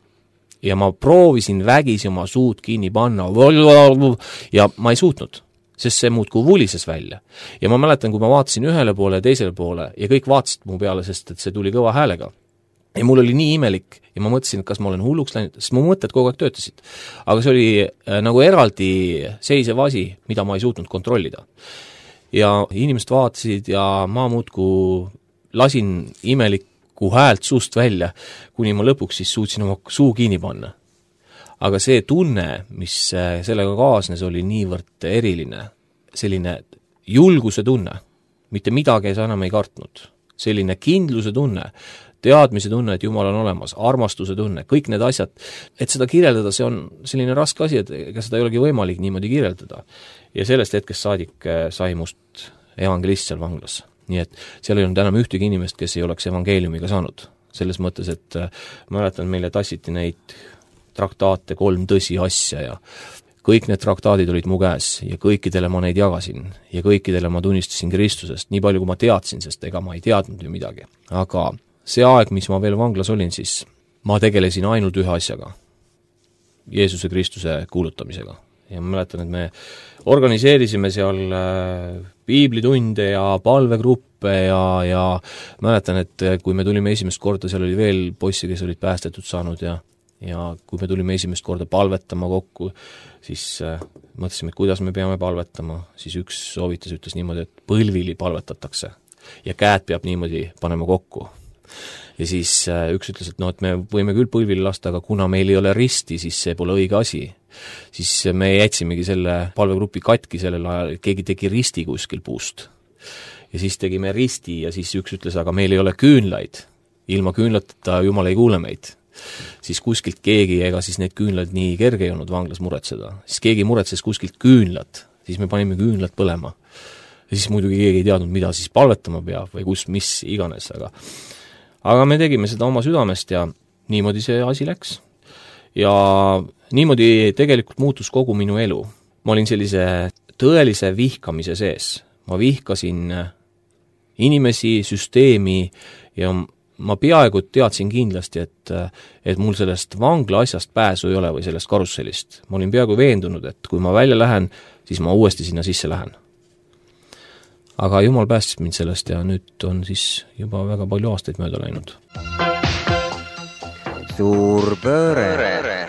Ja ma proovisin vägisi oma suud kinni panna ja ma ei suutnud, sest see muudkui vulises välja. Ja ma mäletan, kui ma vaatasin ühele poole ja teisele poole ja kõik vaatasid mu peale, sest et see tuli kõva häälega. Ja mul oli nii imelik ja ma mõtlesin, et kas ma olen hulluks läinud, sest mu mõtted kogu aeg töötasid. Aga see oli nagu eraldi seisev asi, mida ma ei suutnud kontrollida. Ja inimesed vaatasid ja ma muudkui lasin imelikku häält suust välja, kuni ma lõpuks siis suutsin oma suu kinni panna. Aga see tunne, mis sellega kaasnes, oli niivõrd eriline, selline julguse tunne, mitte midagi sa enam ei kartnud, selline kindluse tunne, teadmise tunne, et Jumal on olemas, armastuse tunne, kõik need asjad, et seda kirjeldada, see on selline raske asi, et ega seda ei olegi võimalik niimoodi kirjeldada. Ja sellest hetkest saadik sai must evangelist seal vanglas. Nii et seal ei olnud enam ühtegi inimest, kes ei oleks evangeeliumiga saanud. Selles mõttes, et mäletan, meile tassiti neid traktaate 3 tõsi asja ja kõik need traktaadid olid mu käes ja kõikidele ma neid jagasin ja kõikidele ma tunnistasin Kristusest, nii palju kui ma teadsin, sest ega ma ei teadnud ju midagi. Aga see aeg, mis ma veel vanglas olin, siis ma tegelesin ainult ühe asjaga, Jeesuse Kristuse kuulutamisega. Ja ma mäletan, et me organiseerisime seal piiblitunde ja palvegruppe ja mäletan, et kui me tulime esimest korda, seal oli veel poissi, kes olid päästetud saanud ja kui me tulime esimest korda palvetama kokku, siis mõtlesime, et kuidas me peame palvetama, siis üks soovitas ütles niimoodi, et põlvili palvetatakse ja käed peab niimoodi panema kokku. Ja siis üks ütles, et et me võime küll põlvili lasta, aga kuna meil ei ole risti, siis see pole õige asi. Siis me jätsimegi selle palvegrupi katki sellel ajal, keegi tegi risti kuskil puust. Ja siis tegime risti ja siis üks ütles, aga meil ei ole küünlaid. Ilma küünlateta Jumal ei kuule meid. Siis kuskilt keegi, ega siis need küünlad nii kerge ei olnud vanglas muretseda. Siis keegi muretses kuskilt küünlad, siis me panime küünlad põlema. Ja siis muidugi keegi ei teadnud, mida siis palvetama peab või mis iganes, aga me tegime seda oma südamest ja niimoodi see asi läks. Ja niimoodi tegelikult muutus kogu minu elu. Ma olin sellise tõelise vihkamise sees. Ma vihkasin inimesi, süsteemi ja ma peaaegu teadsin kindlasti, et mul sellest vangla asjast pääsu ei ole või sellest karussellist. Ma olin peaaegu veendunud, et kui ma välja lähen, siis ma uuesti sinna sisse lähen. Aga Jumal päästis mind sellest ja nüüd on siis juba väga palju aastaid mööda läinud. Suur pööre.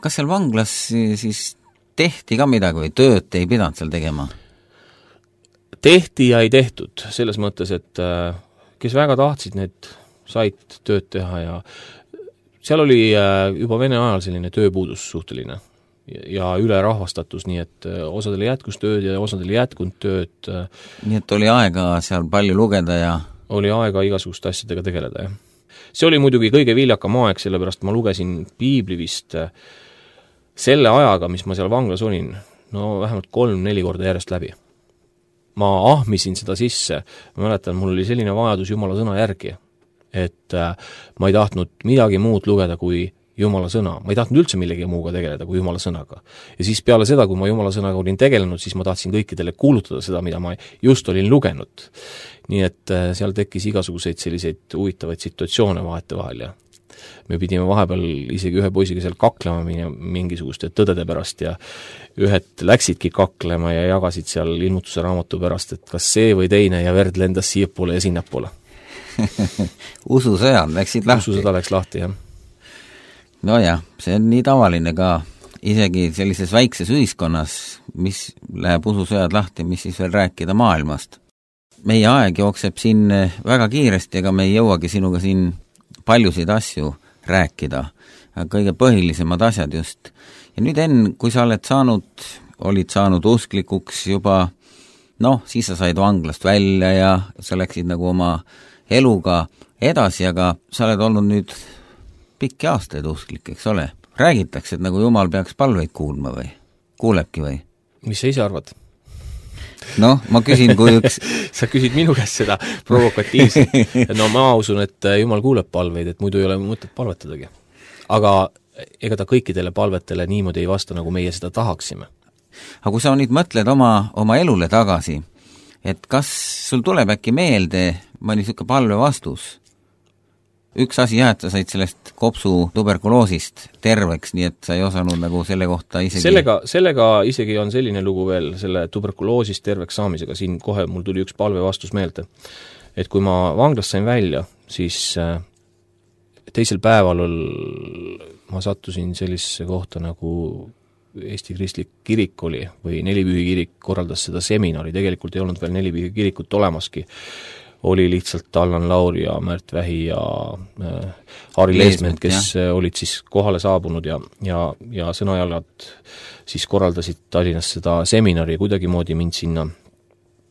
Kas seal vanglas siis tehti ka midagi või tööd ei pidanud seal tegema? Tehti ja ei tehtud, selles mõttes, et kes väga tahtsid, need said tööd teha ja seal oli juba Vene ajal selline tööpuudus suhteline ja ülerahvastatus, nii et osadel jätkus tööd ja osadel jätkunud tööd. Nii et oli aega seal palju lugeda ja oli aega igasuguste asjadega tegeleda, jah. See oli muidugi kõige viljakam aeg, sellepärast ma lugesin piibli vist selle ajaga, mis ma seal vanglas olin, vähemalt 3-4 korda järjest läbi. Ma ahmisin seda sisse, ma mäletan, mul oli selline vajadus Jumala sõna järgi, et ma ei tahtnud midagi muud lugeda kui Jumala sõna. Ma ei tahtnud üldse millegi muuga tegeleda kui Jumala sõnaga. Ja siis peale seda, kui ma Jumala sõnaga olin tegelenud, siis ma tahtsin kõikidele kuulutada seda, mida ma just olin lugenud. Nii et seal tekkis igasuguseid selliseid huvitavaid situatsioone vahetevahel ja me pidime vahepeal isegi ühe poisiga seal kaklema mingisuguste tõdede pärast ja ühed läksidki kaklema ja jagasid seal ilmutuse raamatu pärast, et kas see või teine ja verd lendas siiapoole ja sinnapoole. Ususõjad läksid lahti. Ususõda läks lahti, jah. Nojah, see on nii tavaline ka, isegi sellises väikses ühiskonnas, mis läheb ususõjad lahti, mis siis veel rääkida maailmast. Meie aeg jookseb siin väga kiiresti, ega me ei jõuagi sinuga siin paljusid asju rääkida, kõige põhilisemad asjad just. Ja nüüd kui sa olid saanud usklikuks juba, siis sa said vanglast välja ja sa läksid nagu oma eluga edasi, aga sa oled olnud nüüd pikki aastaid usklik, eks ole? Räägitakse, et nagu Jumal peaks palveid kuulma või? Kuulebki või? Mis sa ise arvad? Ma küsin, kui üks... Sa küsid minu käest seda provokatiivselt. Ma usun, et Jumal kuuleb palveid, et muidu ei ole mõtet palvetadagi. Aga ega ta kõikidele palvetele niimoodi ei vasta, nagu meie seda tahaksime. Aga kui sa nüüd mõtled oma elule tagasi, et kas sul tuleb äkki meelde mõni niisugune palve vastus? Üks asi et sa said sellest kopsu tuberkuloosist terveks, nii et sa ei osanud nagu selle kohta isegi... Sellega isegi on selline lugu veel, selle tuberkuloosist terveks saamisega, siin kohe mul tuli üks palve vastus meelde. Et kui ma vanglast sain välja, siis teisel päeval ma sattusin sellisesse kohta nagu Eesti Kristlik kirik oli või Nelipühi kirik korraldas seda seminari, tegelikult ei olnud veel Nelipühi kirikut olemaski. Oli lihtsalt Allan Laur ja Märt Vähi ja Harri Leesment, kes olid siis kohale saabunud ja sõnajalad siis korraldasid Tallinnas seda seminari ja kuidagimoodi mind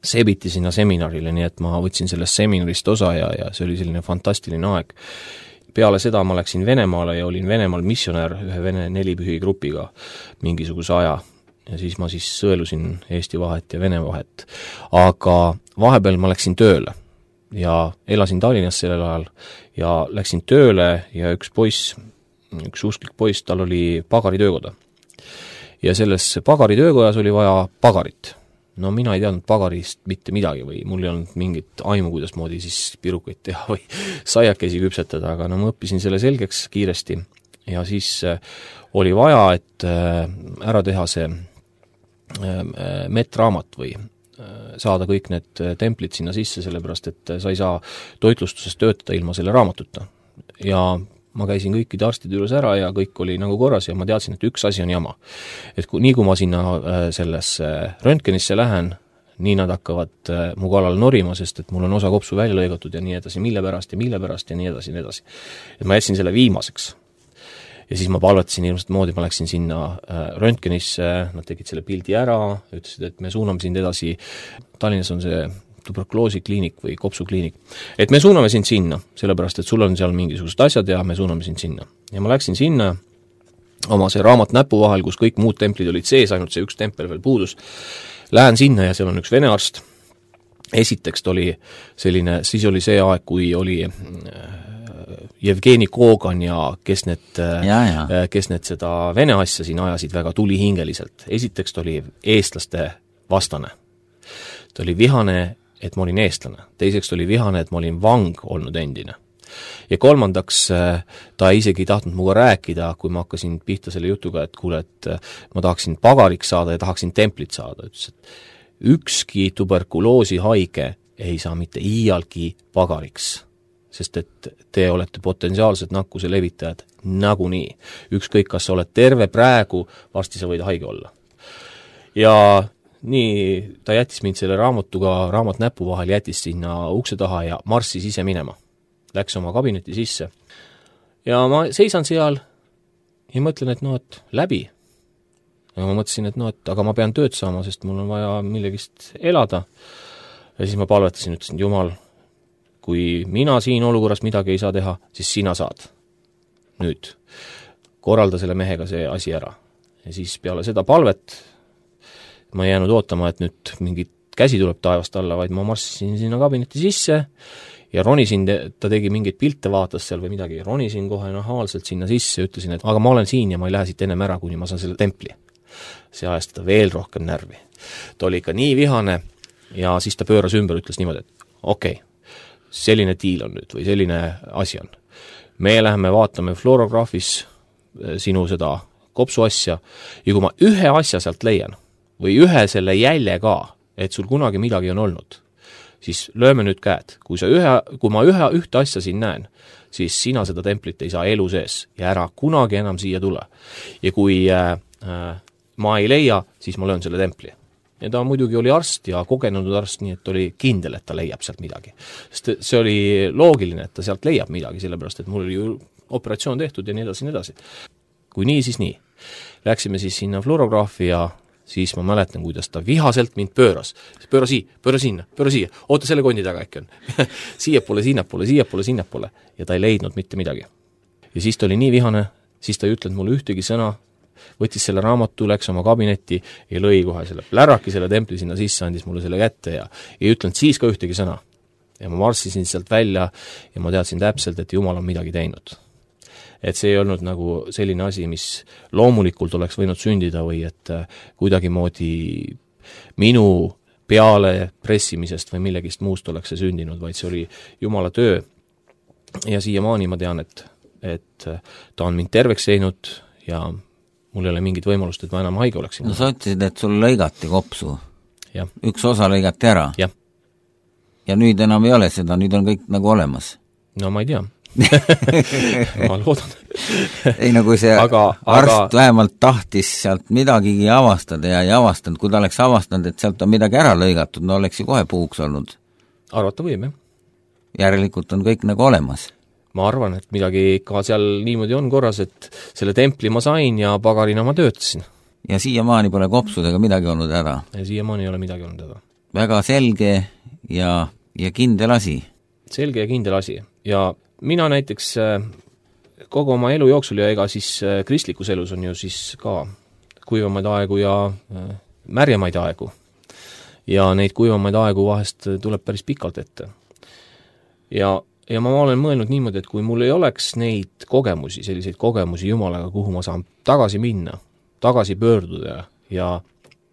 sebiti sinna seminarile, nii et ma võtsin sellest seminarist osa ja see oli selline fantastiline aeg. Peale seda ma läksin Venemaale ja olin Venemaal missionär ühe Vene Nelipühi grupiga mingisuguse aja ja siis ma sõelusin Eesti vahet ja Vene vahet. Aga vahepeal ma läksin tööle ja elasin Tallinnas sellel ajal ja läksin tööle ja üks usklik poiss, tal oli pagaritöökoda. Ja selles pagaritöökojas oli vaja pagarit. Mina ei teadnud pagarist mitte midagi või mul ei olnud mingit aimu, kuidas moodi siis pirukaid teha või saiakesi küpsetada, aga ma õppisin selle selgeks kiiresti ja siis oli vaja, et ära teha see metraamat või saada kõik need templid sinna sisse, sellepärast et sa ei saa toitlustuses töötada ilma selle raamatuta. Ja ma käisin kõikide arstide juures ära ja kõik oli nagu korras ja ma teadsin, et üks asi on jama. Et nii kui ma sinna sellesse röntgenisse lähen, nii nad hakkavad mu kallal norima, sest et mul on osa kopsu välja lõigatud ja nii edasi, mille pärast ja nii edasi. Et ma jätsin selle viimaseks. Ja siis ma palvetasin ilmselt moodi, ma läksin sinna röntgenisse, nad tegid selle pildi ära, ütlesid, et me suuname sind edasi, Tallinnas on see tuberkuloosikliinik või kopsukliinik, et me suuname sind sinna, sellepärast, et sul on seal mingisugused asjad ja me suuname sind sinna. Ja ma läksin sinna oma see raamat näpu vahel, kus kõik muud templid olid sees, ainult see üks tempel veel puudus. Lähen sinna ja seal on üks vene arst. Esiteks oli selline, siis oli see aeg, kui oli Jevgeni Kogan ja kes need seda vene asja siin ajasid väga tulihingeliselt. Esiteks ta oli eestlaste vastane. Ta oli vihane, et ma olin eestlane. Teiseks oli vihane, et ma olin vang olnud endine. Ja kolmandaks ta isegi ei tahtnud muga rääkida, kui ma hakkasin pihta selle jutuga, et kuule, et ma tahaksin pagariks saada ja tahaksin templit saada. Ütles, et ükski tuberkuloosi haige ei saa mitte iialgi pagariks, sest et te olete potentsiaalsed nakkuse levitajad nagunii. Ükskõik, kas sa oled terve praegu, varsti sa võid haige olla. Ja nii ta jättis mind selle raamat näpu vahel, jättis sinna ukse taha ja marssis ise minema. Läks oma kabineti sisse. Ja ma seisan seal ja mõtlen, et läbi. Ja ma mõtlesin, et aga ma pean tööd saama, sest mul on vaja millegist elada. Ja siis ma palvetasin, ütlesin, Jumal, kui mina siin olukorras midagi ei saa teha, siis sina saad. Nüüd, korralda selle mehega see asi ära. Ja siis peale seda palvet ma ei jäänud ootama, et nüüd mingit käsi tuleb taevast alla, vaid ma marssisin sinna kabineti sisse ja ronisin, ta tegi mingeid pilte, vaatas seal või midagi, ronisin kohe nahaalselt sinna sisse ja ütlesin, et aga ma olen siin ja ma ei lähe siit ennem ära, kuni ma saan selle templi. See ajas teda veel rohkem närvi. Ta oli ikka nii vihane ja siis ta pööras ümber, ütles niimoodi, et okei, selline diil on nüüd või selline asi on. Me läheme vaatame fluorograafis sinu seda kopsu asja ja kui ma ühe asja sealt leian või ühe selle jälje ka, et sul kunagi midagi on olnud, siis lööme nüüd käed. Kui ma ühte asja siin näen, siis sina seda templit ei saa elu sees ja ära kunagi enam siia tule. Ja kui ma ei leia, siis ma löön selle templi. Ja ta muidugi oli arst ja kogenud arst, nii et oli kindel, et ta leiab sealt midagi. Sest see oli loogiline, et ta sealt leiab midagi, sellepärast, et mul oli ju operatsioon tehtud ja nii edasi. Kui nii, siis nii. Läksime siis sinna fluorograafi ja siis ma mäletan, kuidas ta vihaselt mind pööras. Pööra sinna, oota selle kondi taga äkki on. Siiapoole, sinnapoole. Ja ta ei leidnud mitte midagi. Ja siis ta oli nii vihane, siis ta ei ütlenud mulle ühtegi sõna, võttis selle raamatu, läks oma kabinetti ja lõi kohe selle pläraki, selle templi sinna sisse, andis mulle selle kätte ja ei ütlenud siis ka ühtegi sõna. Ja ma marssisin sealt välja ja ma teadsin täpselt, et Jumal on midagi teinud. Et see ei olnud nagu selline asi, mis loomulikult oleks võinud sündida või et kuidagimoodi minu peale pressimisest või millegist muust oleks see sündinud, vaid see oli Jumala töö. Ja siiamaani ma tean, et ta on mind terveks teinud ja mul ei ole mingit võimalust, et ma enam haige oleksin. No sa ütlesid, et sul lõigati kopsu. Ja. Üks osa lõigati ära. Ja. Ja nüüd enam ei ole seda, nüüd on kõik nagu olemas. No ma ei tea. Ma loodan. Ei, no kui see arst vähemalt tahtis sealt midagigi avastada ja ei avastanud, kui ta oleks avastanud, et sealt on midagi ära lõigatud, no oleks ju kohe puuks olnud. Arvata võib, jah. Järelikult on kõik nagu olemas. Ma arvan, et midagi ikka seal niimoodi on korras, et selle templi ma sain ja pagarina ma töötasin. Ja siiamaani pole kopsudega midagi olnud ära. Ja siiamaani ei ole midagi olnud ära. Väga selge ja kindel asi. Selge ja kindel asi. Ja mina näiteks kogu oma elu jooksul ja ega siis kristlikus elus on ju siis ka kuivamaid aegu ja märjamaid aegu. Ja neid kuivamaid aegu vahest tuleb päris pikalt ette. Ja ma olen mõelnud niimoodi, et kui mul ei oleks neid kogemusi, selliseid kogemusi Jumalaga, kuhu ma saan tagasi minna, tagasi pöörduda ja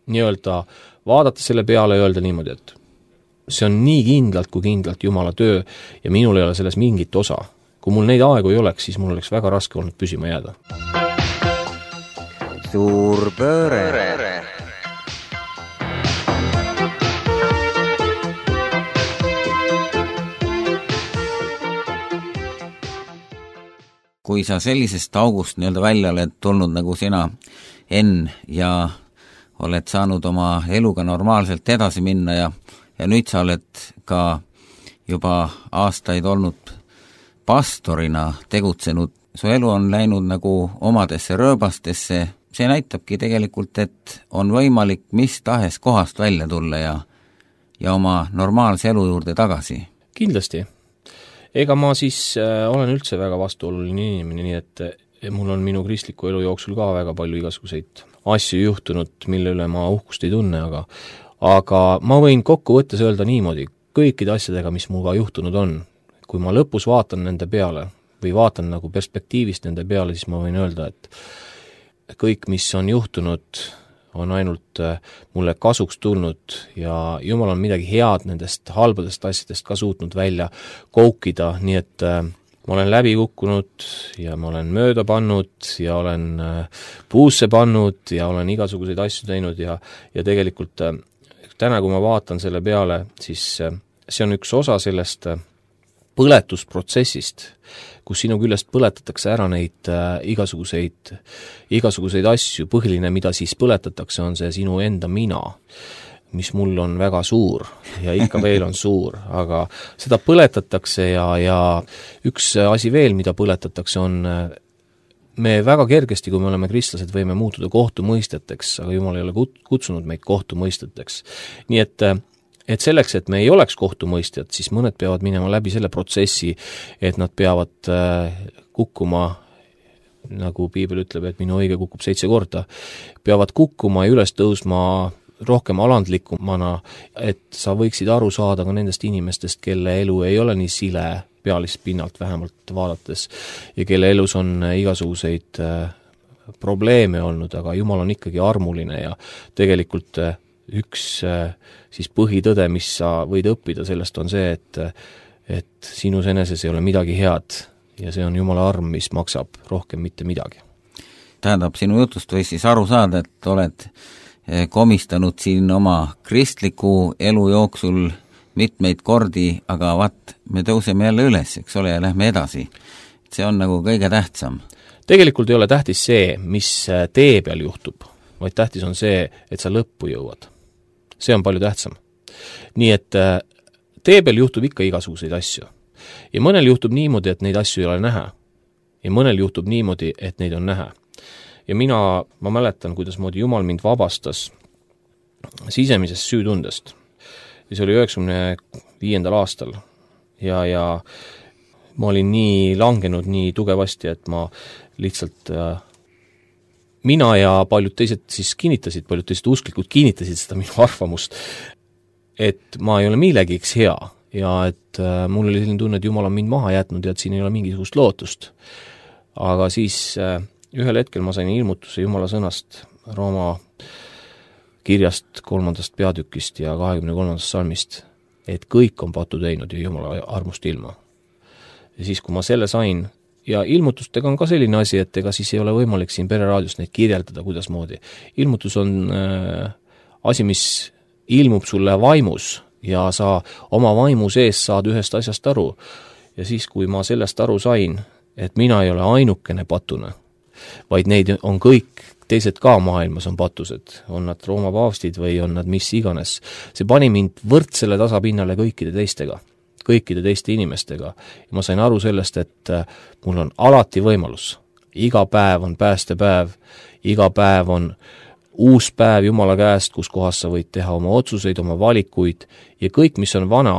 nii-öelda vaadata selle peale ja öelda niimoodi, et see on nii kindlalt kui kindlalt Jumala töö ja minul ei ole selles mingit osa. Kui mul neid aegu ei oleks, siis mul oleks väga raske olnud püsima jääda. Suur pööre. Kui sa sellisest august nii-öelda välja oled tulnud nagu sina, Enn, ja oled saanud oma eluga normaalselt edasi minna ja nüüd sa oled ka juba aastaid olnud pastorina tegutsenud, su elu on läinud nagu omadesse rööbastesse, see näitabki tegelikult, et on võimalik mis tahes kohast välja tulla ja oma normaalse elu juurde tagasi. Kindlasti. Ega ma siis olen üldse väga vastuoluline inimene, nii et mul on minu kristliku elu jooksul ka väga palju igasuguseid asju juhtunud, mille üle ma uhkust ei tunne, aga ma võin kokku võttes öelda niimoodi, kõikide asjadega, mis muga juhtunud on, kui ma lõpus vaatan nende peale või vaatan nagu perspektiivist nende peale, siis ma võin öelda, et kõik, mis on juhtunud, on ainult mulle kasuks tulnud ja Jumal on midagi head nendest halbadest asjadest ka suutnud välja koukida, nii et ma olen läbi kukkunud ja ma olen mööda pannud ja olen puusse pannud ja olen igasuguseid asju teinud ja tegelikult täna, kui ma vaatan selle peale, siis see on üks osa sellest põletusprotsessist, kus sinu küljest põletatakse ära neid igasuguseid asju, põhiline, mida siis põletatakse, on see sinu enda mina, mis mul on väga suur ja ikka veel on suur, aga seda põletatakse ja üks asi veel, mida põletatakse, on me väga kergesti, kui me oleme kristlased, võime muutuda kohtumõisteteks, aga Jumal ei ole kutsunud meid kohtumõisteteks. Nii et selleks, et me ei oleks kohtumõistjad, siis mõned peavad minema läbi selle protsessi, et nad peavad kukkuma, nagu Piibel ütleb, et minu õige kukub 7 korda, peavad kukkuma ja üles tõusma rohkem alandlikumana, et sa võiksid aru saada ka nendest inimestest, kelle elu ei ole nii sile pealist pinnalt vähemalt vaadates ja kelle elus on igasuguseid probleeme olnud, aga Jumal on ikkagi armuline ja tegelikult üks siis põhitõde, mis sa võid õppida sellest, on see, et sinus eneses ei ole midagi head ja see on Jumala arm, mis maksab rohkem mitte midagi. Tähendab, sinu jutust võis siis aru saada, et oled komistanud siin oma kristliku elu jooksul mitmeid kordi, aga vaat, me tõuseme jälle üles, eks ole, ja lähme edasi. See on nagu kõige tähtsam. Tegelikult ei ole tähtis see, mis tee peal juhtub, vaid tähtis on see, et sa lõppu jõuad. See on palju tähtsam. Nii et tee peal juhtub ikka igasuguseid asju. Ja mõnel juhtub niimoodi, et neid asju ei ole näha. Ja mõnel juhtub niimoodi, et neid on näha. Ja ma mäletan, kuidas moodi Jumal mind vabastas sisemisest süütundest. Ja see oli 95. aastal. Ja ma olin nii langenud nii tugevasti, et ma lihtsalt mina ja paljud teised siis kinnitasid, paljud teised usklikud kinnitasid seda minu arvamust, et ma ei ole millegiks hea ja et mul oli selline tunne, et Jumal on mind maha jätnud ja et siin ei ole mingisugust lootust. Aga siis ühel hetkel ma sain ilmutuse Jumala sõnast Rooma kirjast 3. peatükist ja 23. salmist, et kõik on patu teinud ja Jumala armust ilma. Ja siis, kui ma selle sain, ja ilmutustega on ka selline asi, et ega siis ei ole võimalik siin Pereraadios neid kirjeldada, kuidas moodi. Ilmutus on asi, mis ilmub sulle vaimus ja sa oma vaimu sees saad ühest asjast aru. Ja siis, kui ma sellest aru sain, et mina ei ole ainukene patune, vaid neid on kõik teised ka maailmas on patused, on nad Rooma paavstid või on nad mis iganes. See pani mind võrdsele tasapinnale kõikide teiste inimestega. Ja ma sain aru sellest, et mul on alati võimalus. Iga päev on päästepäev, iga päev on uus päev Jumala käest, kus kohas sa võid teha oma otsuseid, oma valikuid ja kõik, mis on vana,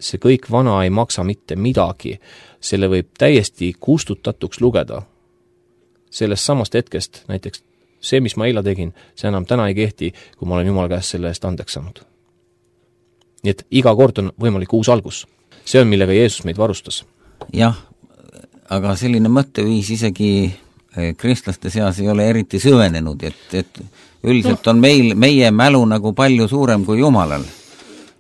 see kõik vana ei maksa mitte midagi. Selle võib täiesti kustutatuks lugeda. Sellest samast hetkest, näiteks see, mis ma eile tegin, see enam täna ei kehti, kui ma olen Jumala käest selle eest andeks saanud. Nii et iga kord on võimalik uus algus. See on, millega Jeesus meid varustas. Jah, aga selline mõtteviis isegi kristlaste seas ei ole eriti süvenenud, et üldiselt on meie mälu nagu palju suurem kui Jumalal.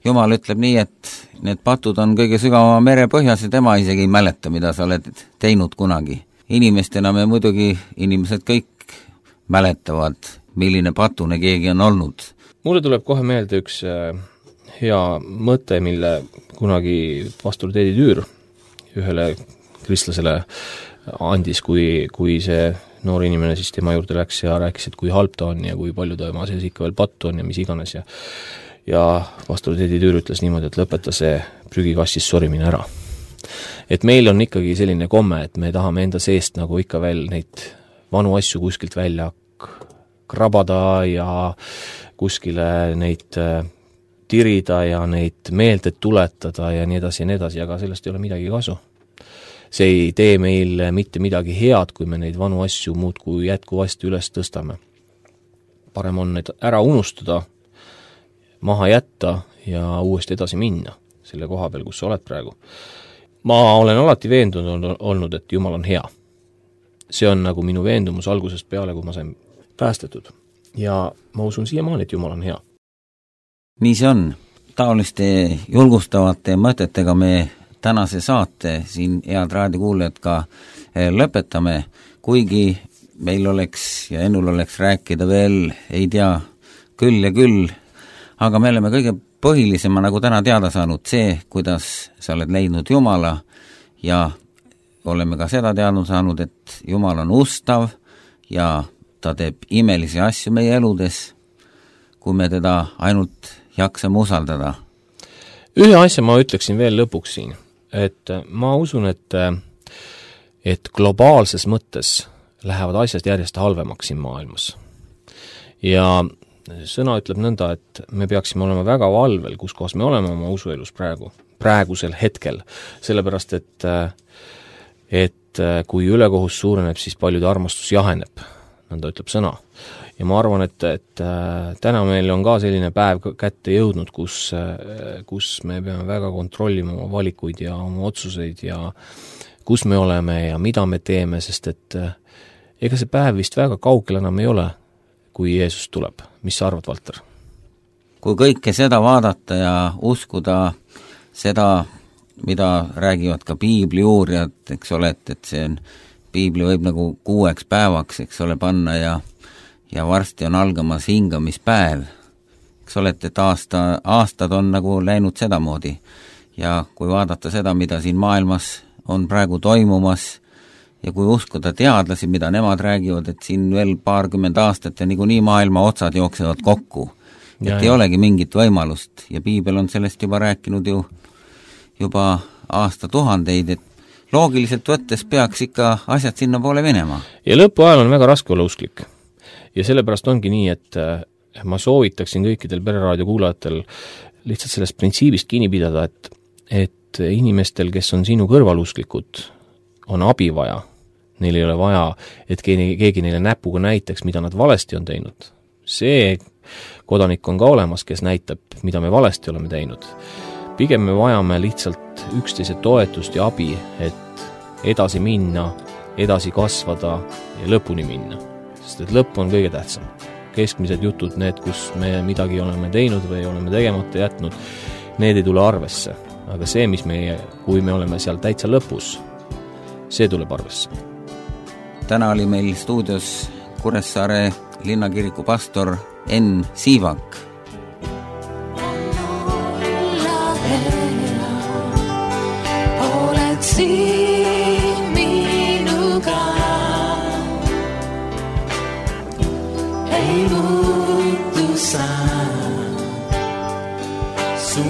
Jumal ütleb nii, et need patud on kõige sügavama mere põhjas ja tema isegi ei mäleta, mida sa oled teinud kunagi. Inimestena me muidugi, inimesed kõik mäletavad, milline patune keegi on olnud. Mulle tuleb kohe meelde üks hea mõte, mille kunagi pastor Teedi Tüür ühele kristlasele andis, kui see noor inimene siis tema juurde läks ja rääkis, et kui halb ta on ja kui palju ta oma sees ikka veel pattu on ja mis iganes. Ja pastor Teedi Tüür ütles niimoodi, et lõpeta see prügikastis sorimine ära. Et meil on ikkagi selline komme, et me tahame enda seest nagu ikka veel neid vanu asju kuskilt välja krabada ja kuskile neid tirida ja neid meelde tuletada ja nii edasi, aga sellest ei ole midagi kasu. See ei tee meil mitte midagi head, kui me neid vanu asju muudkui jätkuvasti üles tõstame. Parem on need ära unustada, maha jätta ja uuesti edasi minna selle koha peal, kus sa oled praegu. Ma olen alati veendunud olnud, et Jumal on hea. See on nagu minu veendumus algusest peale, kui ma sain päästetud. Ja ma usun siiamaani, et Jumal on hea. Nii see on. Taoliste julgustavate mõtetega me tänase saate siin head raadiokuulajad ka lõpetame, kuigi meil oleks ja Ennul oleks rääkida veel, ei tea, küll ja küll, aga me oleme kõige põhilisema nagu täna teada saanud see, kuidas sa oled leidnud Jumala ja oleme ka seda teadnud saanud, et Jumal on ustav ja ta teeb imelisi asju meie eludes, kui me teda ainult jaksame usaldada. Ühe asja ma ütleksin veel lõpuks siin, et ma usun, et globaalses mõttes lähevad asjad järjest halvemaks siin maailmas. Ja sõna ütleb nõnda, et me peaksime olema väga valvel, kus kohas me oleme oma usuelus praegusel hetkel, sellepärast, et kui ülekohus suureneb, siis paljude armastus jaheneb, nõnda ütleb sõna. Ja ma arvan, et täna meil on ka selline päev kätte jõudnud, kus me peame väga kontrollima oma valikuid ja oma otsuseid ja kus me oleme ja mida me teeme, sest et ega see päev vist väga kaugel enam ei ole, kui Jeesus tuleb. Mis sa arvad, Valter? Kui kõike seda vaadata ja uskuda seda, mida räägivad ka piibli uurijad, eks ole, et see on, piibli võib nagu 6 päevaks, eks ole, panna ja varsti on algamas hingamispäev. eks olete, et aastad on nagu läinud sedamoodi. Ja kui vaadata seda, mida siin maailmas on praegu toimumas ja kui uskuda teadlasi, mida nemad räägivad, et siin veel 20 aastat ja niikuinii maailma otsad jooksevad kokku. Et ei olegi mingit võimalust ja piibel on sellest juba rääkinud juba aastatuhandeid, et loogiliselt võttes peaks ikka asjad sinna poole minema. Ja lõpuajal on väga raske olla usklik. Ja sellepärast ongi nii, et ma soovitaksin kõikidel Pereraadio kuulajatel lihtsalt sellest printsiibist kinni pidada, et inimestel, kes on sinu kõrvalusklikud, on abi vaja. Neil ei ole vaja, et keegi neile näpuga näitaks, mida nad valesti on teinud. See kodanik on ka olemas, kes näitab, mida me valesti oleme teinud. Pigem me vajame lihtsalt üksteise toetust ja abi, et edasi minna, edasi kasvada ja lõpuni minna. Sest et lõpp on kõige tähtsam. Keskmised jutud, need, kus me midagi oleme teinud või oleme tegemata jätnud, need ei tule arvesse. Aga see, kui me oleme seal täitsa lõpus, see tuleb arvesse. Täna oli meil stuudios Kuressaare linnakiriku pastor Enn Siivak. Oled siin minuga, ei muutu sa, su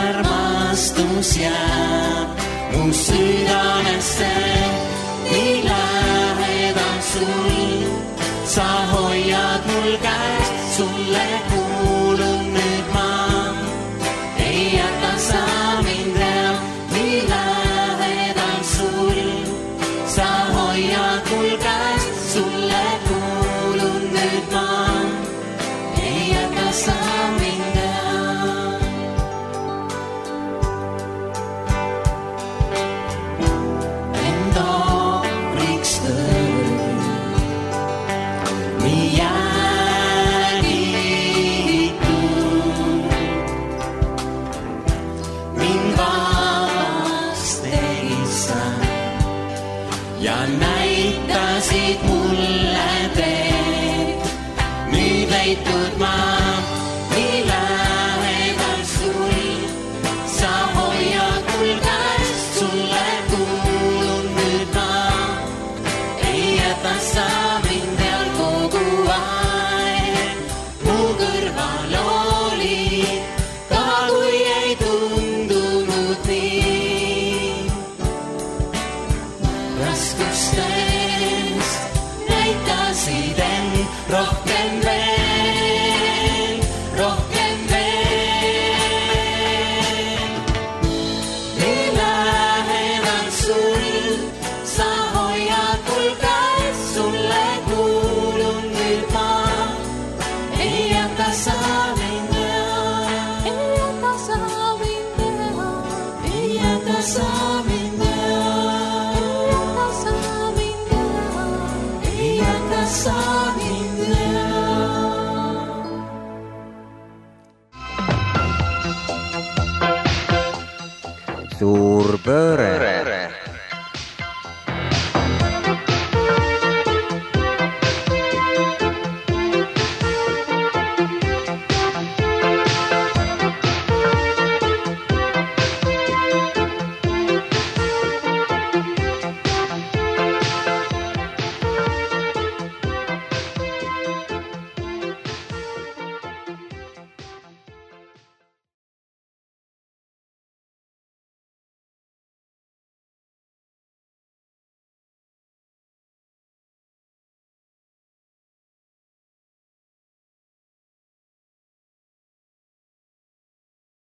armastus jääb mu südamesse, nii lähedal sul, sa hoiad mul käest, sulle kuulun nüüd ma, ei jäta sa mind veel, nii lähedal sul, sa hoiad mul käest, sulle kuulun nüüd ma, ei jäta sa mind veel. Ja näitasid mulle teed, nüüd leitud ma, nii lähedal sul, sa hoiad mul käest, sulle kuulun nüüd ma, ei jäta sa mind veel kogu aeg, mu kõrval oli, ka kui ei tundunud nii. Raskustes näitasid end rohkem veel, rohkem veel. Nii lähedal sul, sa hoiad mul käes, sulle kuulun nüüd ma, ei jäta sa mind teha, ei jäta sa mind teha, ei jäta sa mind teha. Suur pööre.